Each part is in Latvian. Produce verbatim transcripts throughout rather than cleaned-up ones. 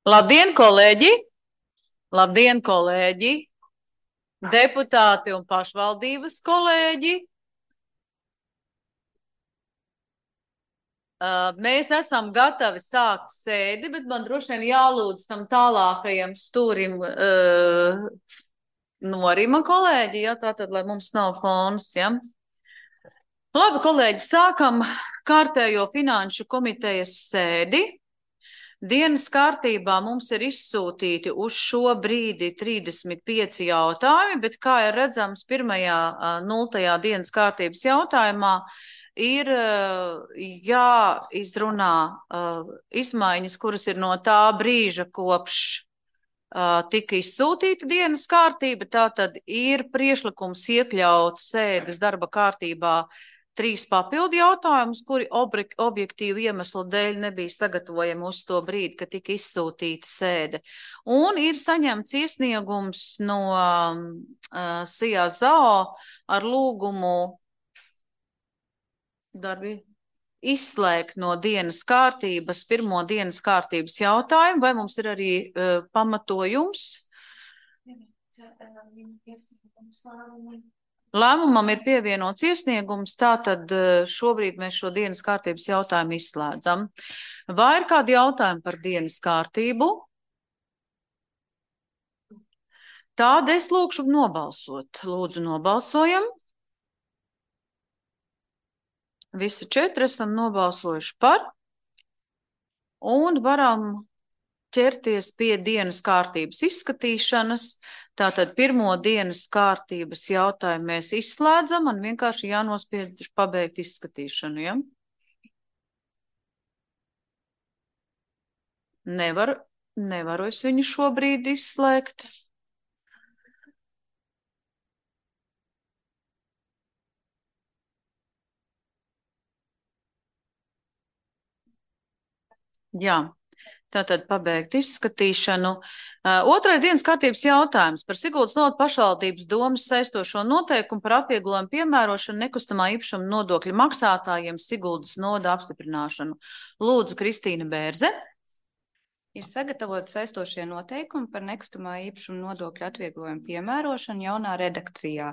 Labdien, kolēģi! Labdien, kolēģi! Deputāti un pašvaldības kolēģi! Uh, mēs esam gatavi sākt sēdi, bet man droši vien jālūdz tam tālākajam stūrim uh, norima kolēģi, ja, tātad, lai mums nav fons, ja. Labi, kolēģi, sākam kārtējo finanšu komitejas sēdi. Dienas kārtībā mums ir izsūtīti uz šo brīdi trīsdesmit pieci jautājumi, bet, kā ir redzams, pirmajā nultajā dienas kārtības jautājumā ir jāizrunā izmaiņas, kuras ir no tā brīža, kopš tika izsūtīta dienas kārtība. Tātad ir priešlikums iekļaut sēdes darba kārtībā trīs papildu jautājumus, kuri objektīvu iemeslu dēļ nebija sagatavojami uz to brīdi, kad tika izsūtīta sēde. Un ir saņemts iesniegums no uh, Sijā Zao ar lūgumu darbi izslēgt no dienas kārtības pirmo dienas kārtības jautājumu. Vai mums ir arī uh, pamatojums? Lēmumam ir pievienots iesniegums, tātad šobrīd mēs šo dienas kārtības jautājumu izslēdzam. Vai ir kādi jautājumi par dienas kārtību? Tāda es lūkšu nobalsot. Lūdzu, nobalsojam. Visi četri esam nobalsojuši par. Un varam ķerties pie dienas kārtības izskatīšanas. Tātad pirmo dienas kārtības jautājumu mēs izslēdzam un vienkārši jānospiež pabeigt izskatīšanu, ja? Nevar, nevaru es viņu šobrīd izslēgt. Jā. Tātad pabeigt izskatīšanu. Uh, otrais dienas kārtības jautājums par Siguldas novada pašvaldības domas saistošo noteikumu par atvieglojumu piemērošanu nekustamā īpašuma nodokļa maksātājiem Siguldas novada apstiprināšanu. Lūdzu, Kristīna Bērze. Ir sagatavot saistošie noteikumi par nekustamā īpašuma nodokļa atvieglojumu piemērošanu jaunā redakcijā,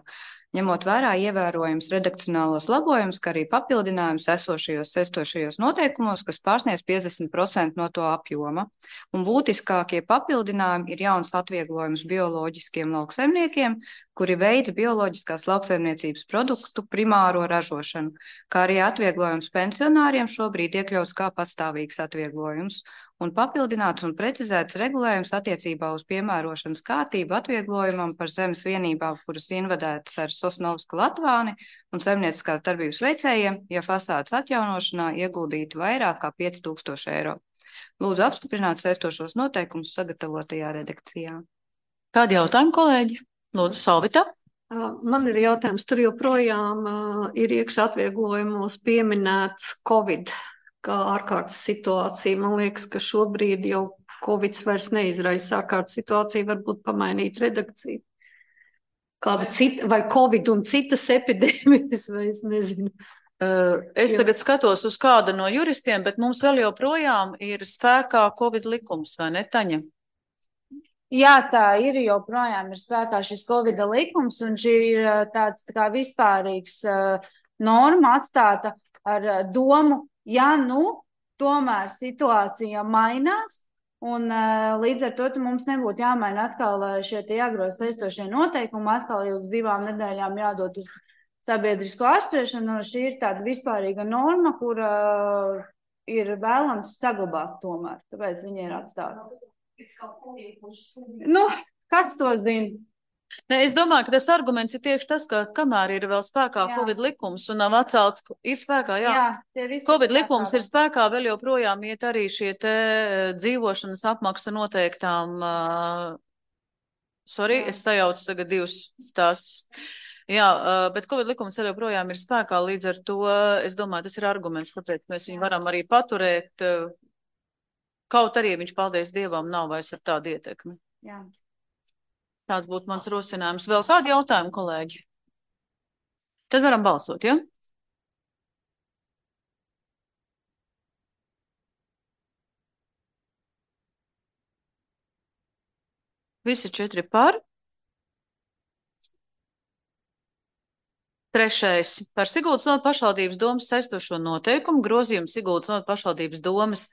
ņemot vērā ievērojams redakcionālos labojumus, kā arī papildinājumus esošajos saistošajos noteikumos, kas pārsniedz piecdesmit procenti no to apjoma. Un būtiskākie papildinājumi ir jauns atvieglojums bioloģiskiem lauksaimniekiem, kuri veic bioloģiskās lauksaimniecības produktu primāro ražošanu, kā arī atvieglojums pensionāriem šobrīd iekļauts kā pastāvīgs atvieglojums. Un papildināts un precizēts regulējums attiecībā uz piemērošanas kārtību atvieglojumam par zemes vienībām, kuras invadētas ar Sosnovska Latvāni un saimnieciskās darbības veicējiem, ja fasādes atjaunošanā ieguldītu vairāk kā pieci tūkstoši eiro. Lūdzu apstiprināt saistošos noteikumus sagatavotajā redakcijā. Kādi jautājumi, kolēģi? Lūdzu, Salvita. Man ir jautājums, tur joprojām uh, ir iekšā atvieglojumos pieminēts Covid kā ārkārtas situācija. Man liekas, ka šobrīd jau Covid vairs neizraisa ārkārtas situāciju, varbūt pamainīt redakciju. Kāda cita, vai Covid un citas epidēmijas, vai es nezinu. Uh, es tagad skatos uz kādu no juristiem, bet mums vēl joprojām ir spēkā Covid likums, vai ne, Taņa? Jā, tā ir, joprojām ir spēkā šis Covid likums, un šī ir tāds tā kā vispārīgs uh, norma atstāta ar uh, domu, ja nu tomēr situācija mainās, un uh, līdz ar to mums nebūtu jāmaina atkal šie tie jāgroza saistošie noteikumi, atkal jau uz divām nedēļām jādod uz sabiedrisko apspriešanu. Šī ir tāda vispārīga norma, kur uh, ir vēlams saglabāt tomēr, tāpēc viņi ir atstāti. Nu, kas to zina? Ne, es domāju, ka tas arguments ir tieši tas, ka kamēr ir vēl spēkā jā. Covid likums un nav atcelts, ir spēkā, jā. jā Covid likums ir spēkā, vēl joprojām iet arī šie te dzīvošanas apmaksa noteiktām, uh, sorry, jā. Es sajaucu tagad divus stāstus. Jā, uh, bet Covid likums vēl joprojām ir spēkā, līdz ar to, es domāju, tas ir arguments, kāpēc mēs viņu varam arī paturēt, uh, kaut arī viņš, paldies Dievam, nav vairs ar tādu ietekmi. Jā. Tāds būtu mans rosinājums. Vēl kādi jautājumi, kolēģi? Tad varam balsot, ja? Visi četri par. Trešais. Par Siguldas novadas pašvaldības domas saistošo noteikumu grozījumu Siguldas novadas pašvaldības domas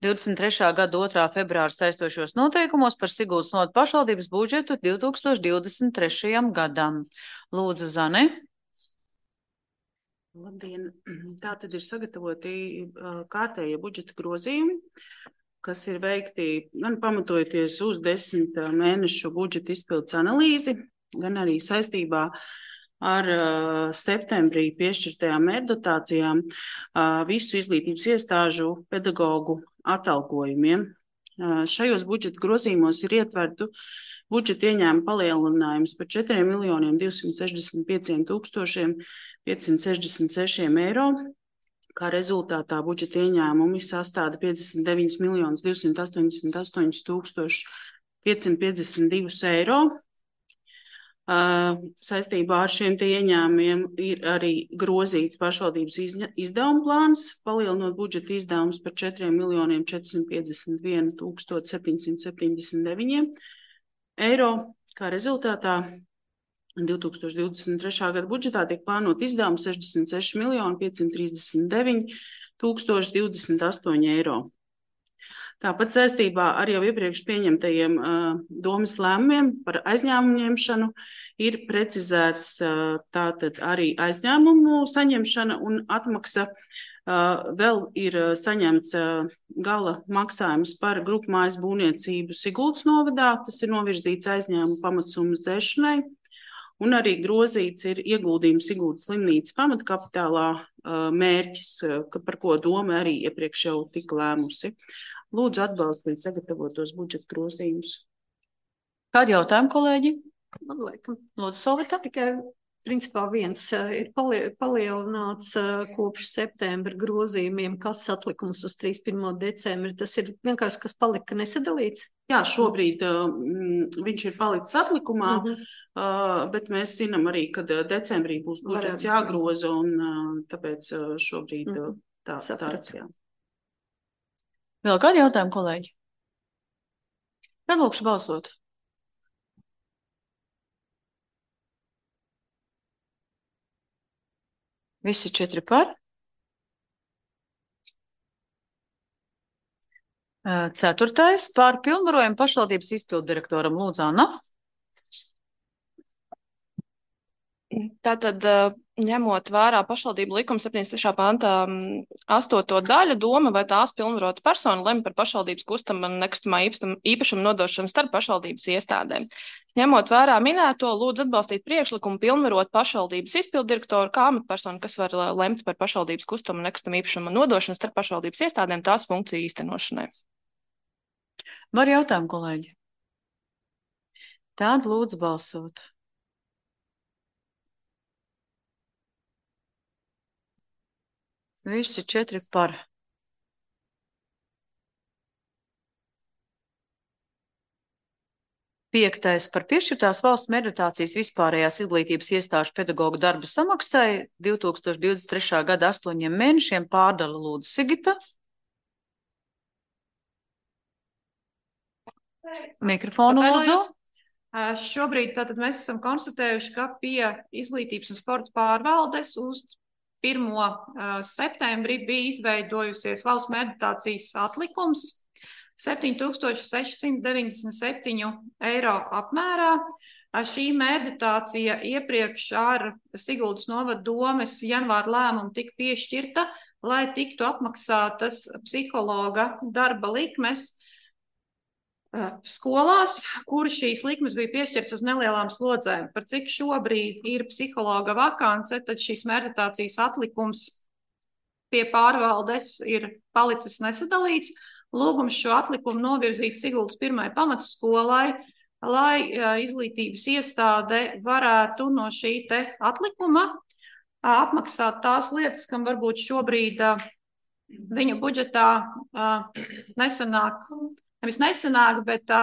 divdesmit trešā gada otrā februāra saistošos noteikumos par Siguldas novadas pašvaldības budžetu divi tūkstoši divdesmit trešajam gadam. Lūdzu, Zane. Labdien! Tā tad ir sagatavoti kārtējie budžeta grozījumi, kas ir veikti gan pamatojoties uz desmit mēnešu budžeta izpildes analīzi, gan arī saistībā ar uh, septembrī piešķirtajām mērdotācijām uh, visu izglītības iestāžu pedagogu atalgojumiem. Uh, šajos budžeta grozījumos ir ietvertu budžeta ieņēmuma palielinājums par četriem miljoniem divsimt sešdesmit pieciem tūkstošiem piecsimt sešdesmit sešiem eiro, kā rezultātā budžeta ieņēmumi sastāda piecdesmit deviņus miljonus divsimt astoņdesmit astoņus tūkstošus piecsimt piecdesmit divus eiro. Uh, saistībā ar šiem tie ieņēmumiem ir arī grozīts pašvaldības izdevuma plāns, palielinot budžeta izdevumus par četriem miljoniem četrsimt piecdesmit vienu tūkstošu septiņsimt septiņdesmit deviņiem eiro, kā rezultātā divi tūkstoši divdesmit trešā gada budžetā tiek plānot izdevumi sešdesmit seši miljoni piecsimt trīsdesmit deviņi tūkstoši divdesmit astoņi eiro. Tāpat saistībā ar jau iepriekš pieņemtajiem uh, domas lēmumiem par aizņēmumu ņemšanu ir precizēts uh, tātad arī aizņēmumu saņemšana un atmaksa. Uh, vēl ir uh, saņemts uh, gala maksājums par grupu mājas būvniecību Siguldas novadā, tas ir novirzīts aizņēmumu pamatsummas dzēšanai, un arī grozīts ir ieguldījums Siguldas slimnīcas pamatkapitālā uh, mērķis, uh, par ko doma arī iepriekš jau tika lēmusi. Lūdzu atbalstīt sagatavotos budžeta grozījumus. Kādi jautājumi, kolēģi? Man liekas, Lūdzu, Solvita. tikai principā viens ir palie, palielināts kopš septembra grozījumiem, kas atlikums uz trīsdesmit pirmo decembri. Tas ir vienkārši, kas palika nesadalīts? Jā, šobrīd mm, viņš ir palicis atlikumā, Mhm. uh, bet mēs zinām arī, ka decembrī būs budžets Varētu. jāgroza, un uh, tāpēc uh, šobrīd uh, Mhm. tā, Sapratu. tāds, jā. Vēl kādi jautājumi, kolēģi? Tad lūkšu balsot. Visi četri par. Ceturtais par pilnvarojumu pašvaldības izpildu direktoram Lūdzu, Anna. Tātad, ņemot vērā pašvaldību likuma septiņdesmit trešā pantā astoto daļu, doma vai tās pilnvarota persona lemj par pašvaldības kustamā un nekustamā īpašuma nodošanu starp pašvaldības iestādēm. Ņemot vērā minēto, lūdzu atbalstīt priekšlikumu pilnvarot pašvaldības izpilddirektoru kā amatpersonu, kas var lemt par pašvaldības kustamā un nekustamā īpašuma nodošanu starp pašvaldības iestādēm tās funkciju īstenošanai. Var jautājumu, kolēģi? Tād lūdzu balsot. Visi četri par. Piektais par piešķirtās valsts meritācijas vispārējās izglītības iestāžu pedagogu darba samaksai divi tūkstoši divdesmit trešā gada astoņiem mēnešiem pārdala Lūdzu Sigita. Mikrofonu lūdzu. Šobrīd tātad mēs esam konstatējuši, ka pie izglītības un sporta pārvaldes uz pirmo septembri bija izveidojusies valsts meditācijas atlikums septiņi tūkstoši sešsimt deviņdesmit septiņi eiro apmērā. Šī meditācija iepriekš ar Siguldas novada domes janvāra lēmumu tika piešķirta, lai tiktu apmaksātas psihologa darba likmes skolās, kur šīs likmes bija piešķirtas uz nelielām slodzēm. Par cik šobrīd ir psihologa vakance, tad šīs meditācijas atlikums pie pārvaldes ir palicis nesadalīts. Lūgums šo atlikumu novirzīt Siguldas pirmai pamatskolai, lai izglītības iestāde varētu no šī te atlikuma apmaksāt tās lietas, kam varbūt šobrīd viņu budžetā nesanāk. Nevis nesanāk, bet tā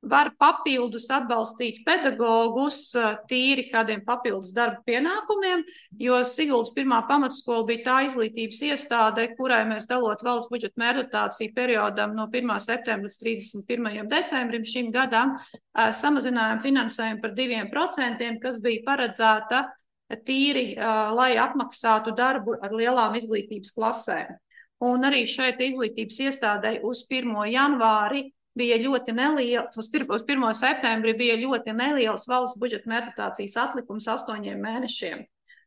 var papildus atbalstīt pedagogus tīri kādiem papildus darba pienākumiem, jo Siguldas pirmā pamatskola bija tā izglītības iestāde, kurai mēs dalot valsts budžeta mērdotāciju periodam no pirmā septembra līdz trīsdesmit pirmajam decembrim šim gadam, samazinājām finansējumu par diviem procentiem, kas bija paredzēta tīri, lai apmaksātu darbu ar lielām izglītības klasēm. Un arī šeit izglītības iestādei uz pirmo janvāri bija ļoti neliels, uz pirmo septembri bija ļoti neliels valsts budžeta mērdotācijas atlikums astoņiem mēnešiem.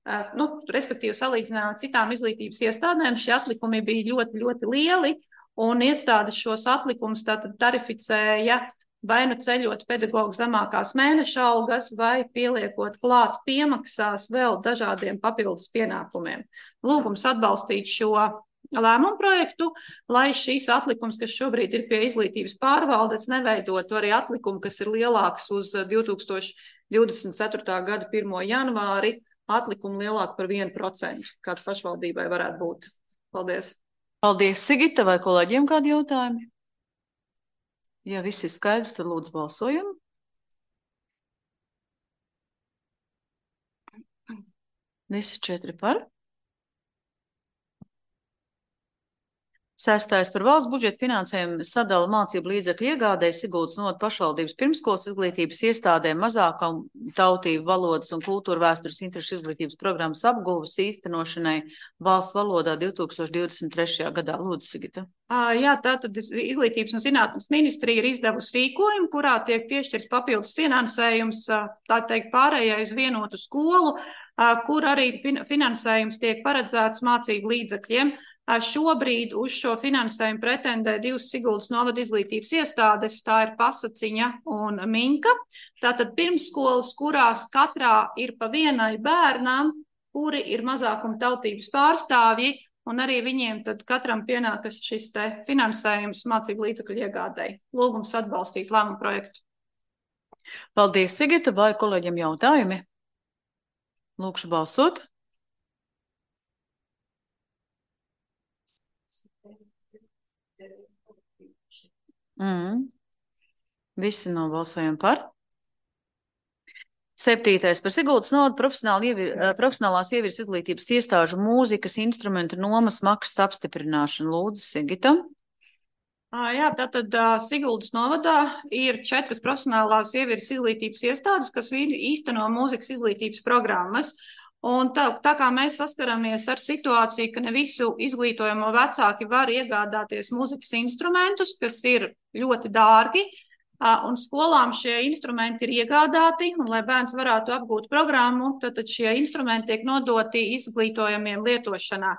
Uh, nu, respektīvi, salīdzinājumā ar citām izglītības iestādēm, šie atlikumi bija ļoti, ļoti lieli, un iestādes šos atlikumus tātad tarificēja vai nu ceļot pedagogu zemākās mēneša algas, vai pieliekot klāt piemaksās vēl dažādiem papildus pienākumiem. Lūgums atbalstīt šo lēmumu projektu, lai šīs atlikums, kas šobrīd ir pie izglītības pārvaldes, neveidotu arī atlikumu, kas ir lielāks uz divi tūkstoši divdesmit ceturtā gada pirmo janvāri, atlikumu lielāku par vienu procentu, kāds pašvaldībai varētu būt. Paldies. Paldies, Sigita, vai kolēģiem kādi jautājumi? Ja viss ir skaidrs, tad lūdzu balsojam. Visi četri par. Sestais par valsts budžeta finansējumu sadala mācību līdzekļu iegādēji Siguldas novada pašvaldības pirmskolas izglītības iestādēm mazākam tautību valodas un kultūra vēstures interešu izglītības programmas apguvas īstenošanai valsts valodā divi tūkstoši divdesmit trešajā gadā. Lūdzu, Sigita. Jā, tātad Izglītības un zinātnes ministrija ir izdevusi rīkojumu, kurā tiek piešķirts papildus finansējums, tā teikt, pārējai uz vienotu skolu, kur arī finansējums tiek paredzēts mācību līdzekļiem. Šobrīd uz šo finansējumu pretendē divas Siguldas novada izglītības iestādes, tā ir Pasaciņa un Minka. Tātad pirmsskolas, kurās katrā ir pa vienai bērnam, kuri ir mazākuma tautības pārstāvji, un arī viņiem tad katram pienākas šis te finansējums mācību līdzekļu iegādēji. Lūgums atbalstīt lēmumu projektu. Paldies, Sigita, vai kolēģiem jautājumi? Lūkšu balsot. Mm. Visi nobalsojam par. Septītais par Siguldas novada profesionāli ievir, profesionālās ievirs izglītības iestāžu mūzikas instrumentu nomas maksas apstiprināšanu. Lūdzu, Sigita. Jā, tātad Siguldas novadā ir četras profesionālās ievirs izglītības iestādes, kas īsteno mūzikas izglītības programmas. Un tā, tā kā mēs saskaramies ar situāciju, ka ne visu izglītojamo vecāki var iegādāties mūzikas instrumentus, kas ir ļoti dārgi, un skolām šie instrumenti ir iegādāti, un lai bērns varētu apgūt programmu, tad šie instrumenti tiek nodoti izglītojamiem lietošanā.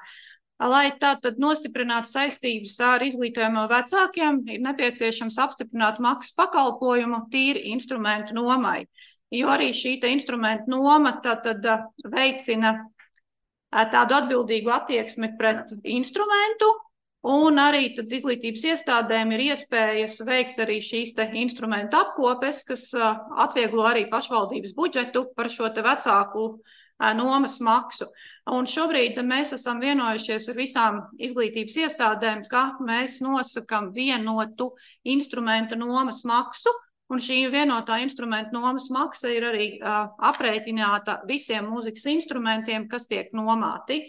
Lai tātad nostiprinātu saistības ar izglītojamo vecākiem, ir nepieciešams apstiprināt maksas pakalpojumu tīri instrumentu nomai. Jo arī šī instrumenta noma tātad veicina tādu atbildīgu attieksmi pret instrumentu, un arī tad izglītības iestādēm ir iespējas veikt arī šīs te instrumentu apkopes, kas atvieglo arī pašvaldības budžetu par šo te vecāku nomas maksu. Un šobrīd mēs esam vienojušies ar visām izglītības iestādēm, ka mēs nosakam vienotu instrumentu nomas maksu, un šī vienotā instrumenta nomas maksa ir arī uh, aprēķināta visiem mūzikas instrumentiem, kas tiek nomāti.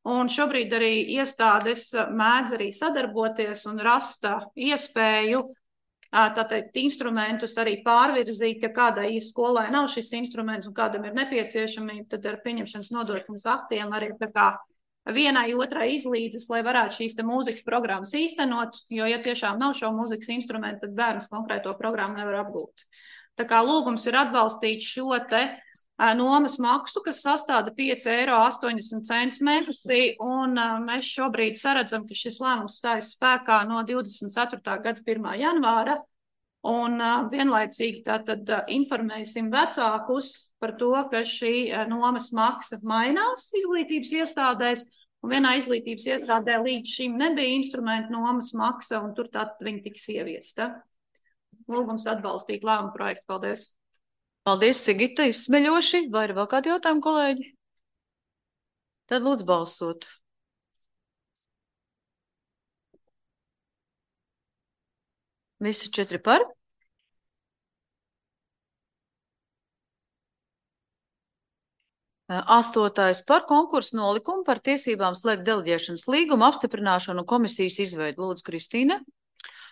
Un šobrīd arī iestādes mēdz arī sadarboties un rast iespēju uh, tātad instrumentus arī pārvirzīt, ja kādai skolai nav šis instruments un kādam ir nepieciešamība, tad ar pieņemšanas nodrošināšanas aktiem arī tā kā vienai otrai izlīdzas, lai varētu šīs te mūzikas programmas īstenot, jo, ja tiešām nav šo mūzikas instrumentu, tad bērns konkrēto programmu nevar apgūt. Tā kā lūgums ir atbalstīt šo te a, nomas maksu, kas sastāda pieci eiro astoņdesmit centi mēnesī, un a, mēs šobrīd saredzam, ka šis lēmums stājas spēkā no divdesmit ceturtā gada pirmā janvāra, un a, vienlaicīgi tātad a, informēsim vecākus par to, ka šī a, nomas maksa mainās izglītības iestādēs, un vienā izglītības iestādē līdz šim nebija instrumentu nomas maksa, un tur tātad viņi tiks ieviesta. Lūgums atbalstīt lēmumu projektu. Paldies. Paldies, Sigita, izsmeļoši. Vai ir vēl kādi jautājumi, kolēģi? Tad lūdzu balsot. Visi četri par. Astotais par konkursu nolikumu par tiesībām slēgt deleģēšanas līgumu apstiprināšanu un komisijas izveidu. Lūdzu, Kristīne.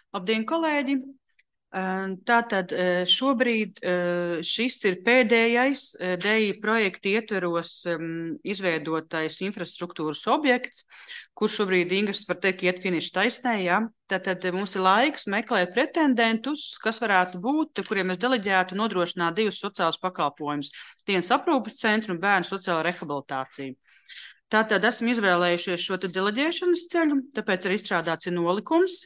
Labdien, kolēģi! Tātad šobrīd šis ir pēdējais D I projekta ietveros izveidotais infrastruktūras objekts, kur šobrīd Ingras var teikt iet finiša taisnē, ja? Tātad mums ir laiks meklēt pretendentus, kas varētu būt, kuriem mēs deleģētu nodrošināt divus sociālus pakalpojumus - dienas aprūpes centru un bērnu sociālo rehabilitāciju. Tātad esam izvēlējušies šo te deleģēšanas ceļu, tāpēc arī izstrādāts ir nolikums.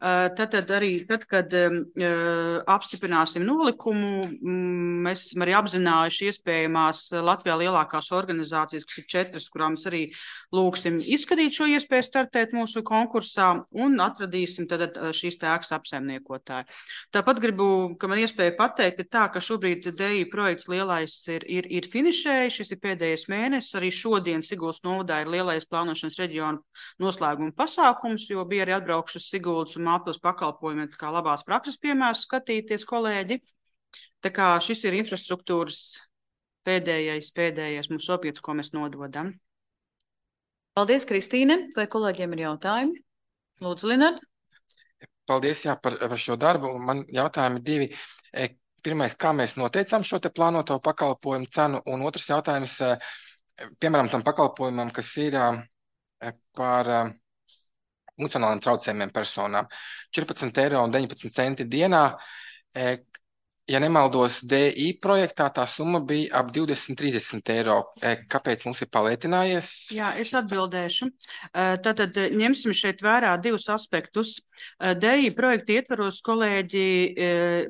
Tātad arī, tad, kad uh, apstiprināsim nolikumu, mm, mēs esam arī apzinājuši iespējamās Latvijā lielākās organizācijas, kas ir četras, kurām mēs arī lūksim izskatīt šo iespēju startēt mūsu konkursā un atradīsim tad šīs tēkas apsaimniekotāju. Tāpat gribu, ka man iespēja pateikt, ir tā, ka šobrīd D I projekts lielais ir, ir, ir finišējis, šis ir pēdējais mēnesis, arī šodien Siguldas novadā ir lielais plānošanas reģiona noslēguma pasākums, jo bija arī atbraukšas Siguldas un mātos pakalpojumi, kā labās prakses piemērs skatīties, kolēģi. Tā kā šis ir infrastruktūras pēdējais, pēdējais mums objekts, ko mēs nododam. Paldies, Kristīne. Vai kolēģiem ir jautājumi? Lūdzu, Linard. Paldies, jā, par, par šo darbu. Man jautājumi divi. Pirmais, kā mēs noteicām šo te plānoto pakalpojumu cenu, un otrs jautājums, piemēram, tam pakalpojumam, kas ir par funkcionāliem traucējumiem personām. četrpadsmit eiro un deviņpadsmit centi dienā. Ja nemaldos, D I projektā tā summa bija ap divdesmit trīsdesmit eiro. Kāpēc mums ir palētinājies? Jā, es atbildēšu. Tātad ņemsim šeit vērā divus aspektus. D I projekta ietvaros, kolēģi,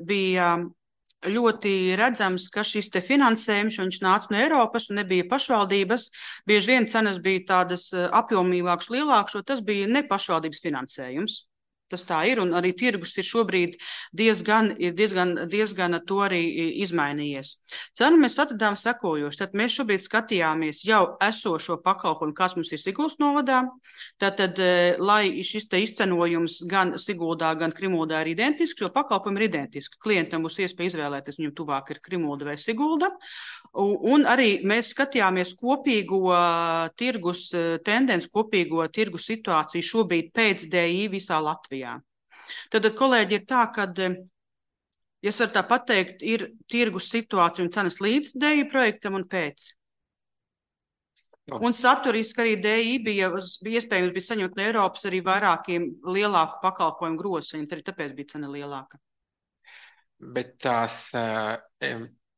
bija ļoti redzams, ka šis te finansējums, viņš nāca no Eiropas un nebija pašvaldības, bieži vien cenas bija tādas apjomīgākas, lielākas, jo tas bija ne pašvaldības finansējums. Tas tā ir, un arī tirgus ir šobrīd diezgan, ir diezgan, diezgan to arī izmainījies. Cenu mēs atradām sekojoši. Tad mēs šobrīd skatījāmies jau esošo pakalpojumu, kas mums ir Siguldas novadā. Tātad, lai šis te izcenojums gan Siguldā, gan Krimuldā ir identisks, jo pakalpojumi ir identiski. Klientam būs iespēja izvēlēties, viņam tuvāk ir Krimulda vai Sigulda. Un arī mēs skatījāmies kopīgo tirgus tendenci, kopīgo tirgus situāciju šobrīd pēc D I visā Latvijā. Tad, kolēģi, ir tā, ka, ja es varu tā pateikt, ir tirgus situācija un cenas līdz D I projektam un pēc. Un saturiski arī D I bija, bija iespējams bija saņemt no Eiropas arī vairākiem lielāku pakalpojumu groziņu, arī tāpēc bija cena lielāka. Bet tās uh,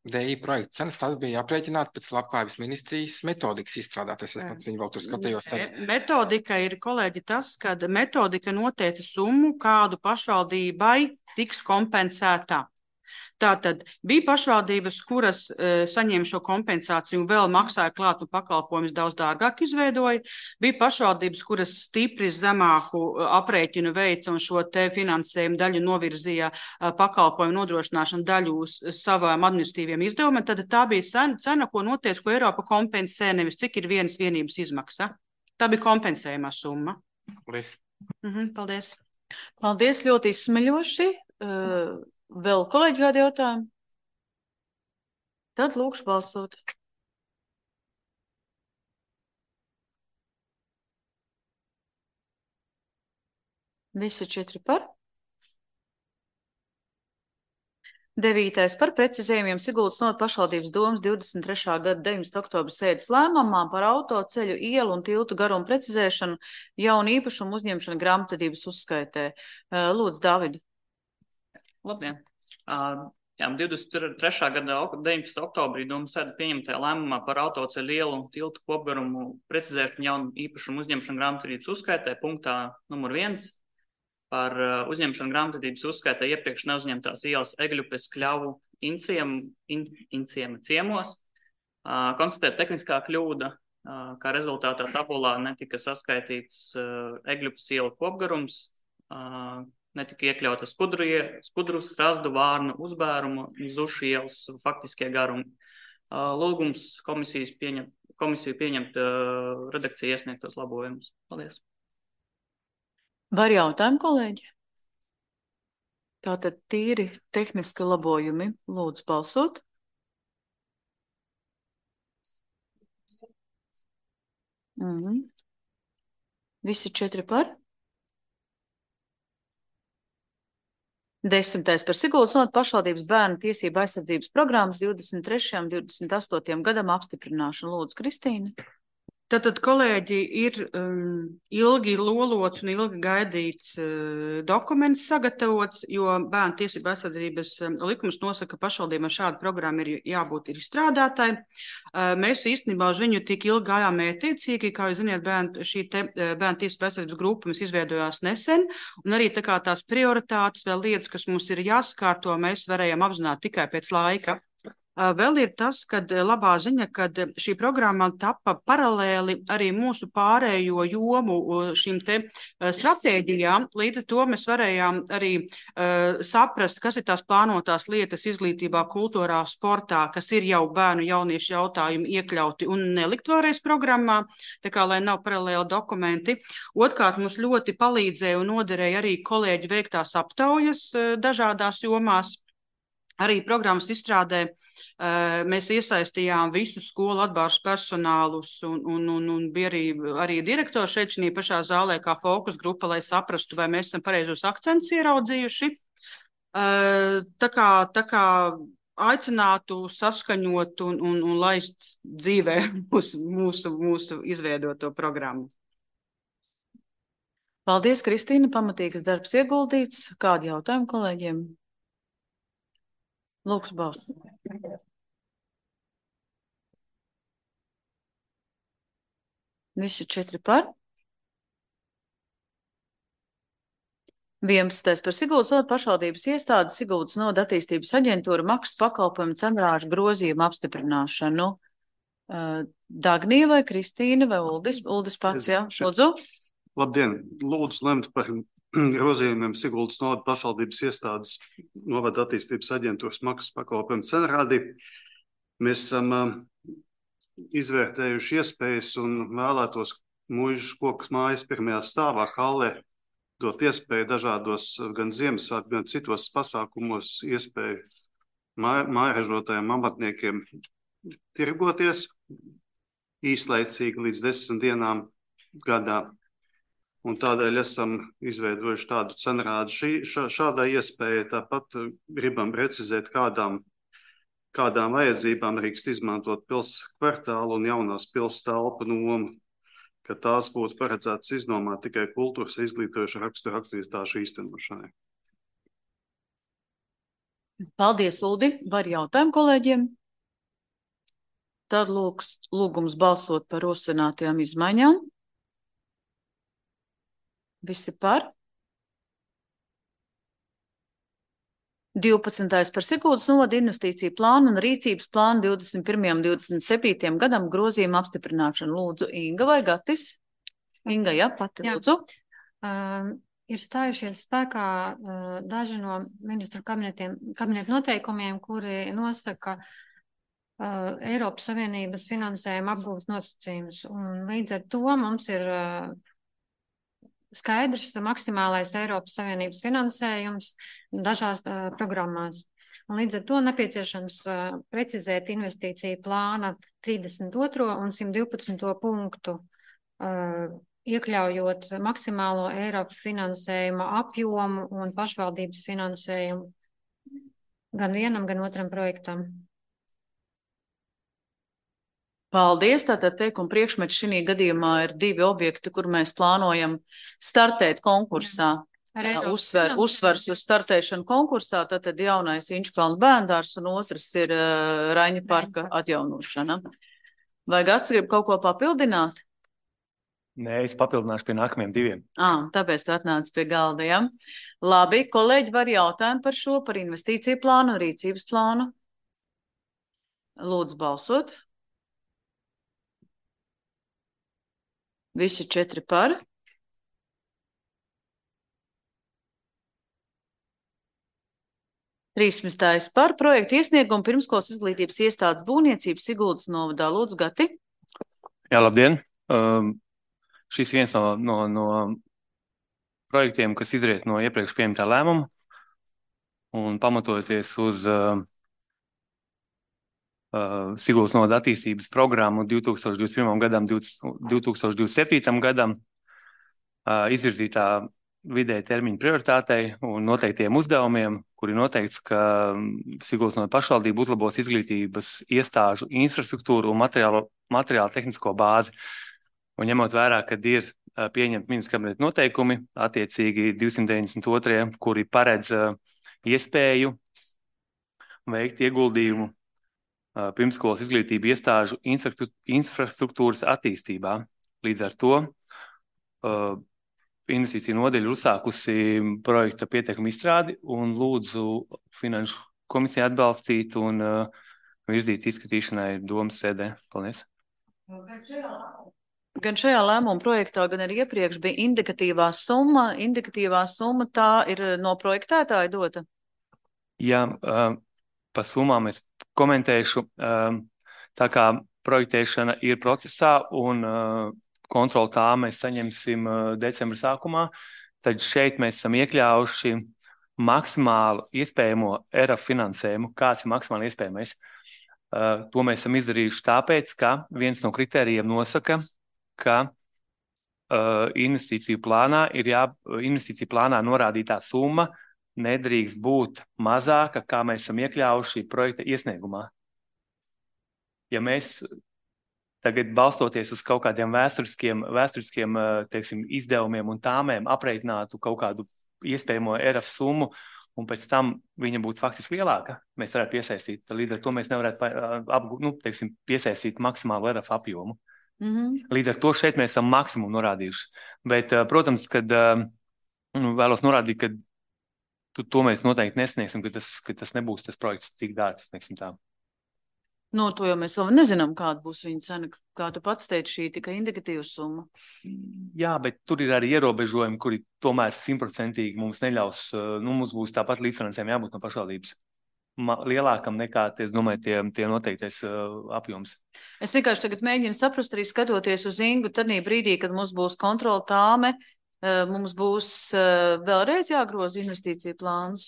D I projekta cenas tad bija aprēķināta pēc Labklājības ministrijas metodikas izstrādātas. Es viņu vēl tur skatījos. Tad... Metodika ir, kolēģi, tas, kad metodika noteica summu, kādu pašvaldībai tiks kompensētā. Tātad bija pašvaldības, kuras e, saņēma šo kompensāciju un vēl maksāja klāt un pakalpojumus daudz dārgāk izveidoja. Bija pašvaldības, kuras stipri zemāku aprēķinu veica un šo te finansējumu daļu novirzīja pakalpojumu nodrošināšanu daļu uz savām administratīviem izdevumiem. Tad tā bija cena, ko noteica, ko Eiropa kompensē, nevis cik ir vienas vienības izmaksa. Tā bija kompensējumā summa. Paldies. Mhm, paldies. Paldies, ļoti izsmeļoši. Uh... Vēl kolēģi kādi jautājumi? Tad lūkšu balsot. Visi četri par. Devītais par precizējumiem Siguldas novada pašvaldības domas divdesmit trešā gada deviņdesmitā oktobra sēdes lēmumā par autoceļu, ielu un tiltu garumu precizēšanu, jaunu īpašumu uzņemšanu grāmatvedības uzskaitē. Lūdzu, Dāvidu. Labdien! Uh, jā, divdesmit trešā gada deviņdesmitā oktobrī domas sēde pieņemtajā lēmumā par autoceļu, ielu un tiltu kopgarumu precizēšanu, jaunu īpašumu uzņemšanu grāmatvedības uzskaitē punktā numur viens. Par uzņemšanu grāmatvedības uzskaitē iepriekš neuzņemtās ielas Egļupes, Kļavu, Inciem, in, Inciema ciemos. Uh, konstatēt tehniskā kļūda, uh, kā rezultātā tabulā netika saskaitīts uh, Egļupes iela kopgarums, uh, netika iekļauta skudru, skudru strazdu, vārnu, uzbērumu, zušu ielas faktiskie garumi. Uh, lūgums komisijas pieņem, komisiju pieņemt uh, redakciju iesniegtos labojumus. Paldies! Var jautājumu, kolēģi? Tātad tīri tehniski labojumi. Lūdzu balsot. Mhm. Visi četri par? Desmitais par Siguldas novada pašvaldības bērnu tiesību aizsardzības programmas divdesmit trešajam un divdesmit astotajam gadam apstiprināšanu. Lūdzu, Kristīna. Tātad, kolēģi, ir um, ilgi lolots un ilgi gaidīts uh, dokuments sagatavots, jo bērnu tiesību aizsardzības um, likums nosaka, ka pašvaldībām šāda programma ir jābūt ir izstrādātai. Uh, mēs īstenībā uz viņu tik ilgi gājām mērķtiecīgi, kā jūs ziniet, bērnu, šī te uh, bērnu tiesību aizsardzības grupa mums izveidojās nesen, un arī tā kā tās prioritātes vēl lietas, kas mums ir jāsakārto, mēs varējām apzināt tikai pēc laika. Vēl ir tas, kad labā ziņa, kad šī programma tapa paralēli arī mūsu pārējo jomu šīm te stratēģijām. Līdz ar to mēs varējām arī uh, saprast, kas ir tās plānotās lietas izglītībā, kultūrā, sportā, kas ir jau bērnu jauniešu jautājumi iekļauti un nelikt vēlreiz programmā, tā kā lai nav paralēli dokumenti. Otkārt, mums ļoti palīdzēja un noderēja arī kolēģi veiktās aptaujas uh, dažādās jomās. Arī programmas izstrādē uh, mēs iesaistījām visu skolu atbalstu personālus un, un, un, un bija arī, arī direktors šeit šī pašā zālē kā fokus grupa, lai saprastu, vai mēs esam pareizos akcentus ieraudzījuši. Uh, tā kā, tā kā aicinātu saskaņot un, un, un laist dzīvē mūsu, mūsu, mūsu izveidoto programmu. Paldies, Kristīna. Pamatīgs darbs ieguldīts. Kādi jautājumi kolēģiem? Lūks Baus. Visi četri par. vienpadsmitais par Siguldas novada pašvaldības iestādi, Siguldas novada attīstības aģentūra maksas pakalpojumu cenrāžu grozījumu apstiprināšanu. Dagnija vai Kristīna vai Uldis? Uldis pats, jā. Lūdzu. Labdien. Lūdzu lemt par grozījumiem Siguldas novada pašvaldības iestādes novada attīstības aģentūras maksas pakalpojumu cenrādi. Mēs esam uh, izvērtējuši iespējas un vēlētos Mūžas kokas mājas pirmajā stāvā hallē dot iespēju dažādos gan Ziemassvētku, gan citos pasākumos iespēju mājražotājiem, amatniekiem tirgoties īslaicīgi līdz desmit dienām gadā. Un tādēļ esam izveidojuši tādu cenrādu šī, šā, šādai iespēja. Tāpat gribam precizēt, kādām, kādām vajadzībām drīkst izmantot pils kvartālu un jaunās pils telpu nomu, ka tās būtu paredzētas iznomāt tikai kultūras izglītojuša rakstura aktivitāšu īstenošanai. Paldies, Uldi. Var jautājumu kolēģiem? Tad lūgs, lūgums balsot par rosinātajām izmaiņām. Visi par. divpadsmitais par Siguldas novada investīciju plānu un rīcības plānu divdesmit pirmajam un divdesmit septītajam gadam grozījumu apstiprināšanu. Lūdzu, Inga vai Gatis? Inga, jā, pati lūdzu. Uh, ir stājušies spēkā uh, daži no ministru kabinetiem, kabinetu noteikumiem, kuri nosaka uh, Eiropas Savienības finansējuma apgūves nosacījumus. Un līdz ar to mums ir uh, skaidrs maksimālais Eiropas Savienības finansējums dažās uh, programmās. Un līdz ar to nepieciešams uh, precizēt investīciju plāna trīsdesmit otro un simt divpadsmito punktu, uh, iekļaujot maksimālo Eiropas finansējuma apjomu un pašvaldības finansējumu gan vienam, gan otram projektam. Paldies. Tātad teikuma priekšmets šī gadījumā ir divi objekti, kur mēs plānojam startēt konkursā. Uzsver, uzsvars uz startēšanu konkursā, tātad jaunais Inčukalna bērndārs un otrs ir uh, Raņa parka atjaunošana. Vai Gats grib kaut ko papildināt? Nē, es papildināšu pie nākamajiem diviem. À, tāpēc tu atnāc pie galda, ja? Labi, kolēģi var jautājumu par šo, par investīciju plānu un rīcības plānu. Lūdzu balsot. Visi četri par. trīsdesmitais par projektu iesniegumu pirmskolas izglītības iestādes būvniecības Siguldas novadā. Lūdzu, Gati. Jā, labdien. Um, šis viens no, no, no projektiem, kas izriet no iepriekš pieņemtā lēmuma un pamatojoties uz uh, uh, Siguldas novada attīstības programmu divi tūkstoši divdesmit pirmajam gadam, divi tūkstoši divdesmit septītajam gadam, uh, izvirzītā vidēja termiņa prioritātei un noteiktiem uzdevumiem, kuri noteikts, ka Siguldas novada pašvaldība uzlabos izglītības iestāžu infrastruktūru un materiālu, materiālu tehnisko bāzi. Un ņemot vērā, kad ir uh, pieņemti ministra kabineta noteikumi, attiecīgi divsimt deviņdesmit otrie, kuri paredz uh, iespēju veikt ieguldījumu uh, pirmskolas izglītību iestāžu infrastruktūras attīstībā. Līdz ar to uh, investīcija nodeļa uzsākusi projekta pieteikumu izstrādi un lūdzu Finanšu komisiju atbalstīt un uh, virzīt izskatīšanai domas sēdē. Paldies. Gan šajā lēmuma projektā, gan arī iepriekš bija indikatīvā summa. Indikatīvā summa tā ir no projektētāja dota? Jā, uh, pa summām es komentēšu. Uh, tā kā projektēšana ir procesā un uh, kontroli tā mēs saņemsim uh, decembra sākumā, tad šeit mēs esam iekļaujuši maksimālu iespējamo E R A F finansējumu. Kāds ir maksimāli iespējamais? Uh, to mēs esam izdarījuši tāpēc, ka viens no kritērijiem nosaka, ka uh, investīciju plānā ir jā, investīciju plānā norādītā summa nedrīkst būt mazāka, kā mēs esam iekļaujuši projekta iesniegumā. Ja mēs tagad balstoties uz kaut kādiem vēsturiskiem, vēsturiskiem teiksim, izdevumiem un tāmēm apreitinātu kaut kādu iespējamo E R A F summu, un pēc tam viņa būtu faktiski lielāka, mēs varētu piesaistīt. Līdz ar to mēs nevarētu apgūt, nu, teiksim, piesaistīt maksimālu E R A F apjomu. Mm-hmm. Līdz ar to šeit mēs esam maksimumu norādījuši. Bet, protams, kad nu, vēlos norādīt, ka tu, to mēs noteikti nesniegsim, ka tas, ka tas nebūs tas projekts tik dārgs, teiksim tā. Nu, to jau mēs vēl nezinām, kāda būs viņa cena, kā tu pats teici, šī tikai indikatīva summa. Jā, bet tur ir arī ierobežojumi, kuri tomēr simtprocentīgi mums neļaus, nu, mums būs tāpat līdzfinansējumi jābūt no pašvaldības. Lielākam nekā, es domāju, tie, tie noteiktais uh, apjoms. Es vienkārši tagad mēģinu saprast, arī skatoties uz Ingu, tad brīdī, kad mums būs kontrola tāme, uh, mums būs uh, vēlreiz jāgroza investīcija plāns.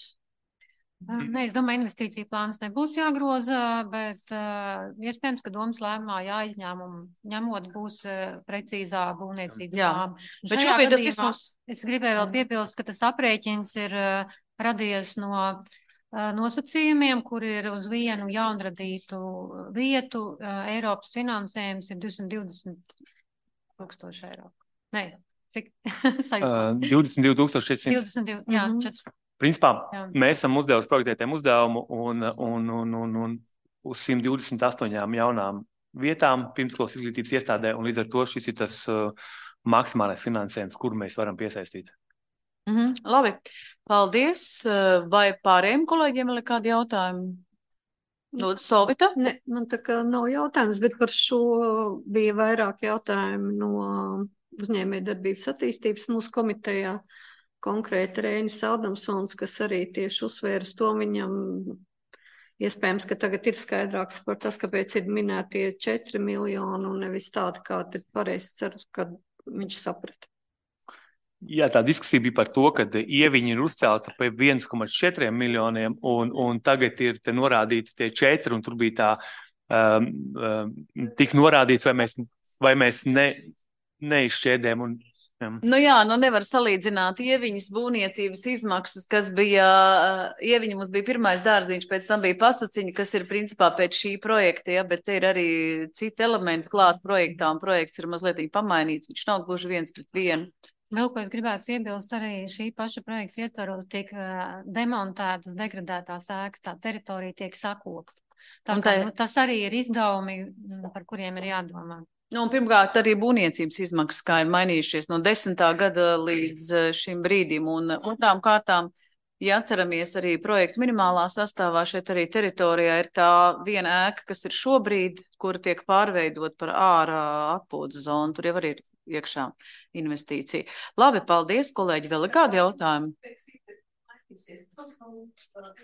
Nē, es domāju, investīcija plāns nebūs jāgroza, bet uh, iespējams, ka domas lēmumā jāizņēmumu ņemot būs uh, precīzā būvniecība. Jā, bet šobrīd tas viss mums... Es gribēju vēl piepilst, ka tas aprēķins ir uh, radies no nosacījumiem, kur ir uz vienu jaunradītu vietu Eiropas finansējums ir divsimt divdesmit tūkstoši eiro. Nē, cik? uh, divdesmit divi tūkstoši četri simti. divdesmit divi, jā, četri. Principā jā. Mēs esam uzdevuši projektētiem uzdevumu un, un, un, un, un uz simt divdesmit astoņām jaunām vietām pirmskolas izglītības iestādē, un līdz ar to šis ir tas uh, maksimālais finansējums, kuru mēs varam piesaistīt. Mm-hmm. Labi, paldies. Vai pārējiem kolēģiem ir kādi jautājumi? Lūdzu, Solvita? Ne, man tā kā nav jautājums, bet par šo bija vairāk jautājumu no uzņēmējdarbības attīstības mūsu komitejā. Konkrēti Reinis Adamsons, kas arī tieši uzsvērs to, viņam iespējams, ka tagad ir skaidrāks par tas, kāpēc ir minētie četri miljoni un nevis tādi, kā ir pareizi ceru, kad viņš saprata. Jā, tā diskusija bija par to, ka ieviņi ir uzcelta pie viens komats četriem miljoniem un, un tagad ir te norādīti tie četri un tur bija tā um, um, tik norādīts, vai mēs, vai mēs ne, neizšķēdējam. Un, jā. Nu jā, nu nevar salīdzināt ieviņas būvniecības izmaksas, kas bija, ieviņa mums bija pirmais dārziņš, pēc tam bija pasaciņa, kas ir principā pēc šī projekta, ja, bet te ir arī citi elementi klāt projektā un projekts ir mazliet pamainīts, viņš nav gluži viens pret vienu. Vēl, ko es gribētu piebilst, arī šī paša projekta ietvaros tiek uh, demontētas, degradētās ēkas, tā teritorija tiek sakopta. Tā, tā... Nu, tas arī ir izdevumi, par kuriem ir jādomā. Nu, un pirmkārt, arī būvniecības izmaksas, kā ir mainījušies no desmitā gada līdz šim brīdim. Un otrām kārtām, ja atceramies arī projektu minimālā sastāvā, šeit arī teritorijā ir tā viena ēka, kas ir šobrīd, kura tiek pārveidot par ārā atpūtas zonu. Tur jau arī ir iekšā investīcija. Labi, paldies, kolēģi. Vēl ir kādi jautājumi?